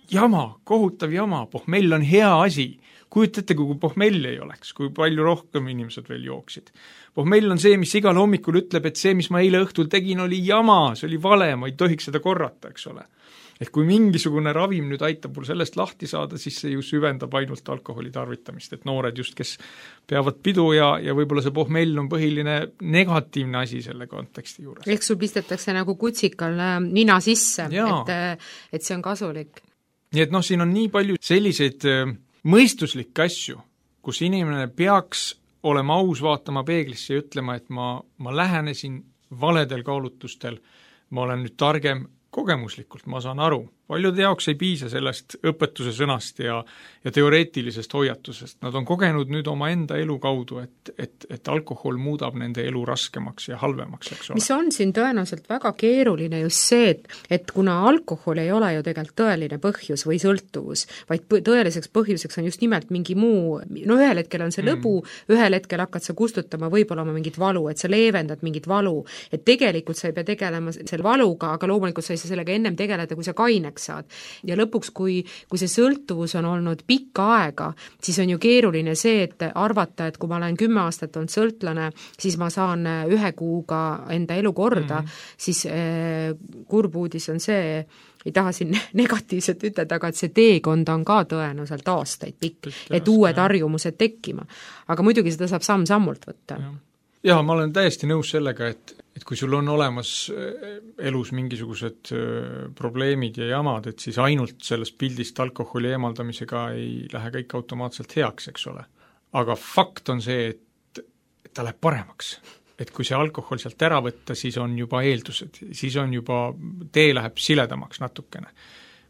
Jama, kohutav jama, pohmell on hea asi. Kujutate, kui pohmell ei oleks, kui palju rohkem inimesed veel jooksid. Pohmell on see, mis igal hommikul ütleb, et see, mis ma eile õhtul tegin, oli jama, see oli vale, ma ei tohiks seda korrata, eks ole. Et kui mingisugune ravim nüüd aitab mul sellest lahti saada, siis see ju süvendab ainult alkoholi tarvitamist, et noored just, kes peavad pidu ja, ja võib-olla see pohmell on põhiline negatiivne asi selle konteksti juures. Ehk sul pistetakse nagu kutsikal nina sisse, et, et see on kasulik. Nii et noh, siin on nii palju selliseid mõistuslikke asju, kus inimene peaks olema aus vaatama peeglisse ja ütlema, et ma, ma lähenesin valedel kaalutlustel, ma olen nüüd targem, kogemuslikult, ma saan aru. Paljude jaoks ei piisa sellest õpetuse sõnast ja, ja teoreetilisest hoiatusest. Nad on kogenud nüüd oma enda elu kaudu, et, et, et alkohol muudab nende elu raskemaks ja halvemaks, eks ole. Mis on siin tõenäoliselt väga keeruline just see, et, et kuna alkohol ei ole ju tegelikult tõeline põhjus või sõltuvus, vaid tõeliseks põhjuseks on just nimelt mingi muu, no ühel hetkel on see mm. lõbu, ühel hetkel hakkad sa kustutama võib-olla oma mingit valu, et sa leevendad mingit valu, et tegelikult sa ei pea tegelema selle valuga, aga loomulikult sa ei saa sellega ennem tegeleda, kui sa kaineks saad. Ja lõpuks, kui, kui see sõltuvus on olnud pikka aega, siis on ju keeruline see, et arvata, et kui ma olen kümme aastat olnud sõltlane, siis ma saan ühe kuuga enda elu korda, mm. siis eh, kurb uudis on see, ei taha siin negatiivselt ütelda, aga et see teekond on ka tõenäoliselt aastaid pikk, et uued harjumused tekkima. Aga muidugi seda saab samm-sammult võtta. Ja. Jaa, ma olen täiesti nõus sellega, et, et kui sul on olemas elus mingisugused probleemid ja jamad, et siis ainult sellest pildist alkoholi eemaldamisega ei lähe kõik automaatselt heaks, eks ole. Aga fakt on see, et, et ta läheb paremaks. Et kui see alkohol sealt ära võtta, siis on juba eeldused, siis on juba, tee läheb siledamaks natukene.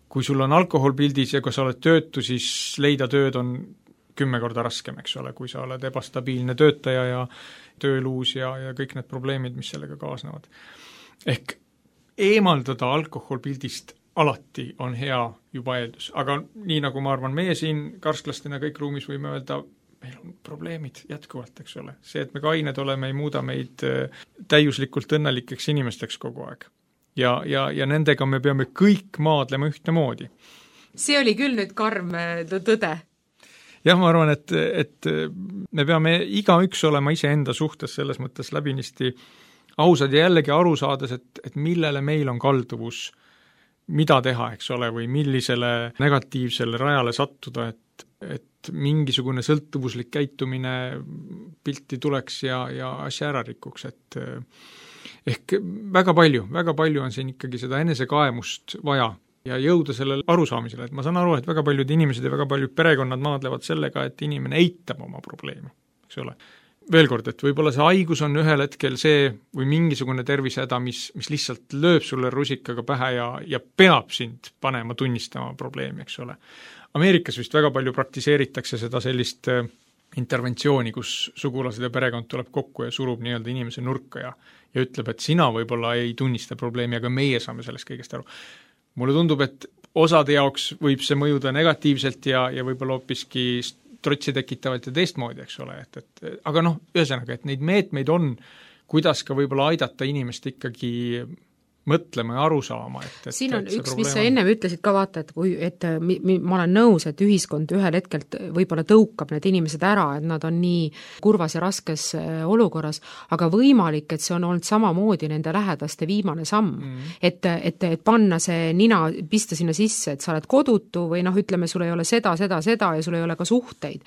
Kui sul on alkohol pildis ja kui sa oled töötu, siis leida tööd on kümme korda raskem, eks ole, kui sa oled ebastabiilne töötaja ja tööluus ja, ja kõik need probleemid, mis sellega kaasnevad. Ehk eemaldada alkoholpildist alati on hea juba eeldus, aga nii nagu ma arvan, meie siin karsklastena kõik ruumis võime öelda, meil on probleemid jätkuvalt, eks ole. See, et me kained oleme, ei muuda meid täiuslikult õnnelikeks inimesteks kogu aeg. Ja, ja, ja nendega me peame kõik maadlema ühte moodi. See oli küll nüüd karm tõde. Jah, ma arvan, et, et me peame igaüks olema iseenda suhtes selles mõttes läbinisti ausad ja jällegi aru saades, et, et millele meil on kalduvus, mida teha, eks ole, või millisele negatiivsele rajale sattuda, et, et mingisugune sõltuvuslik käitumine pilti tuleks ja, ja asja ära rikuks, et ehk väga palju, väga palju on siin ikkagi seda enesekaemust vaja ja jõuda sellele arusaamisele, et ma saan aru, et väga paljud inimesed ja väga paljud perekonnad maadlevad sellega, et inimene eitab oma probleemi, eks ole. Veel kord, et võib-olla see haigus on ühel hetkel see või mingisugune tervisehäda, mis, mis lihtsalt lööb sulle rusikaga pähe ja, ja peab sind panema tunnistama probleemi, eks ole. Ameerikas vist väga palju praktiseeritakse seda sellist interventsiooni, kus sugulased ja perekond tuleb kokku ja surub nii-öelda inimese nurka ja, ja ütleb, et sina võib-olla ei tunnista probleemi, aga meie saame sellest kõigest aru. Mulle tundub, et osade jaoks võib see mõjuda negatiivselt ja, ja võib-olla hoopiski trotsi tekitavalt ja teistmoodi, eks ole, et, et aga noh, ühesõnaga, et neid meetmeid on, kuidas ka võib-olla aidata inimest ikkagi mõtlema ja aru saama. Et, et, siin on üks, mis sa ennem ütlesid ka vaata, et, kui, et mi, mi, ma olen nõus, et ühiskond ühel hetkel võib-olla tõukab need inimesed ära, et nad on nii kurvas ja raskes olukorras, aga võimalik, et see on olnud samamoodi nende lähedaste viimane samm. Mm. Et, et, et panna see nina, pista sinna sisse, et sa oled kodutu või noh, ütleme, sul ei ole seda, seda, seda ja sul ei ole ka suhteid.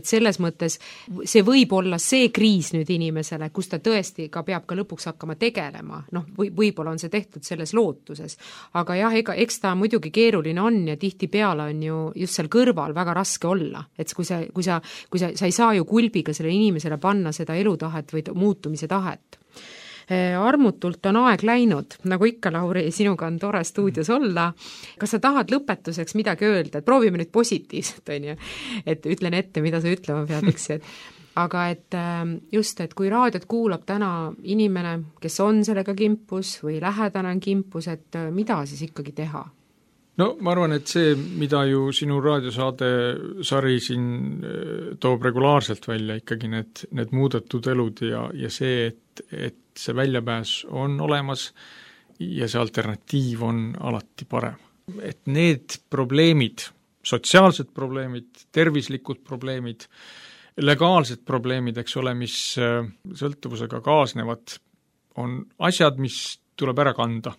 Et selles mõttes see võib olla see kriis nüüd inimesele, kus ta tõesti ka peab ka lõpuks hakkama tegelema. Noh, või, võib-olla on see tehtud selles lootuses. Aga jah, ega, eks ta muidugi keeruline on ja tihti peale on ju just seal kõrval väga raske olla. Et kui sa, kui sa, kui sa, sa ei saa ju kulbiga selle inimesele panna seda elutahet või muutumise tahet. Armutult on aeg läinud, nagu ikka, Lauri, sinuga on tore stuudios olla. Kas sa tahad lõpetuseks midagi öelda? Et proovime nüüd positiivselt, on ju. Et ütlen ette, mida sa ütlema pead, eks, et aga et just, et kui raadiot kuulab täna inimene, kes on sellega kimpus või lähedane on kimpus, et mida siis ikkagi teha? no ma arvan, et see, mida ju sinu raadiosaade sari siin toob regulaarselt välja, ikkagi need, need muudetud elud ja, ja see, et, et see väljapääs on olemas ja see alternatiiv on alati parem. Et need probleemid, sotsiaalsed probleemid, tervislikud probleemid, legaalsed probleemid, eks ole, mis sõltuvusega kaasnevad, on asjad, mis tuleb ära kanda.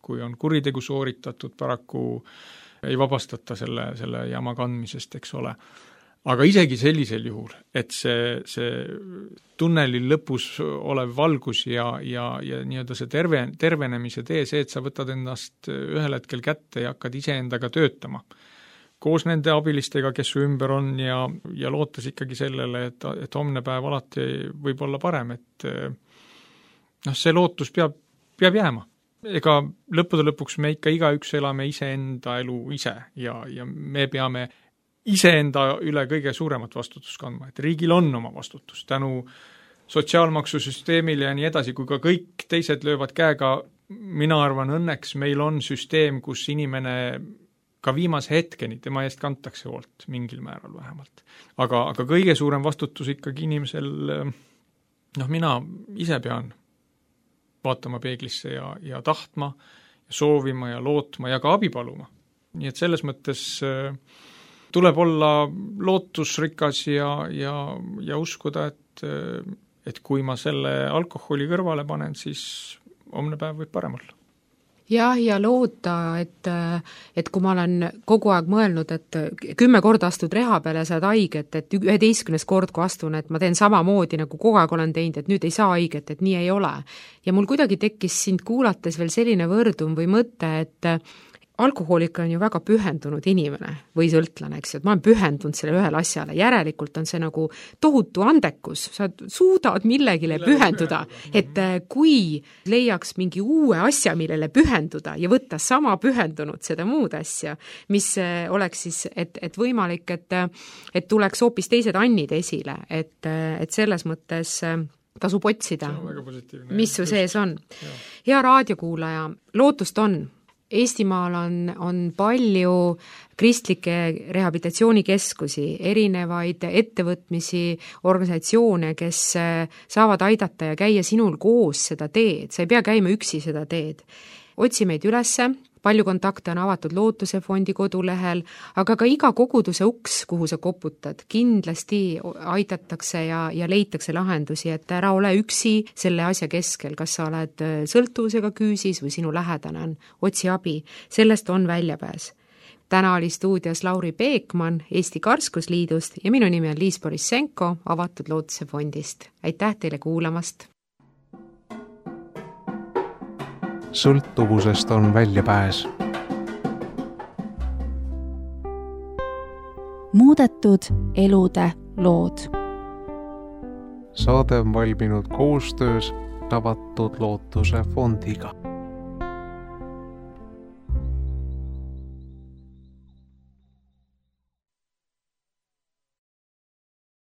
Kui on kuritegu sooritatud, paraku ei vabastata selle, selle jama kandmisest, eks ole. Aga isegi sellisel juhul, et see, see tunneli lõpus olev valgus ja, ja, ja nii-öelda see terve, tervenemise tee, see, et sa võtad endast ühel hetkel kätte ja hakkad iseendaga töötama. Koos nende abilistega, kes su ümber on ja, ja lootes ikkagi sellele, et, et homne päev alati võib olla parem, et noh, see lootus peab, peab jääma. Ega lõppude lõpuks me ikka igaüks elame iseenda elu ise ja, ja me peame iseenda üle kõige suuremat vastutust kandma, et riigil on oma vastutus tänu sotsiaalmaksusüsteemile ja nii edasi, kui ka kõik teised löövad käega, mina arvan õnneks meil on süsteem, kus inimene ka viimase hetkeni, tema eest kantakse hoolt mingil määral vähemalt. Aga, aga kõige suurem vastutus ikkagi inimesel, noh mina ise pean vaatama peeglisse ja, ja tahtma, ja soovima ja lootma ja ka abi paluma. Nii et selles mõttes tuleb olla lootusrikas ja, ja, ja uskuda, et, et kui ma selle alkoholi kõrvale panen, siis homne päev võib parem olla. Jah, ja loota, et, et kui ma olen kogu aeg mõelnud, et kümme korda astud reha peale ja saad haiget, et üheteistkümnes kord, kui astun, et ma teen samamoodi, nagu kogu aeg olen teinud, et nüüd ei saa haiget, et nii ei ole. Ja mul kuidagi tekkis sind kuulates veel selline võrdum või mõte, et alkohoolik on ju väga pühendunud inimene või sõltlane, eks ju, et ma olen pühendunud selle ühele asjale, järelikult on see nagu tohutu andekus, sa suudad millegile pühenduda, et kui leiaks mingi uue asja, millele pühenduda ja võtta sama pühendunud seda muud asja, mis oleks siis, et, et võimalik, et, et tuleks hoopis teised annid esile, et, et selles mõttes tasub otsida, mis su sees on. Hea raadiokuulaja, lootust on. Eestimaal on, on palju kristlikke rehabilitatsioonikeskusi, erinevaid ettevõtmisi, organisatsioone, kes saavad aidata ja käia sinul koos seda teed. Sa ei pea käima üksi seda teed. Otsi meid ülesse, palju kontakte on avatud Lootuse fondi kodulehel, aga ka iga koguduse uks, kuhu sa koputad, kindlasti aidatakse ja, ja leitakse lahendusi, et ära ole üksi selle asja keskel, kas sa oled sõltuvusega küüsis või sinu lähedane on, otsi abi, sellest on väljapääs. Täna oli stuudios Lauri Peekman Eesti Karskusliidust ja minu nimi on Liis Borissenko avatud Lootuse fondist. Aitäh teile kuulamast! Sõltuvusest on väljapääs. Muudetud elude lood. Saade on valminud koostöös avatud Lootuse fondiga.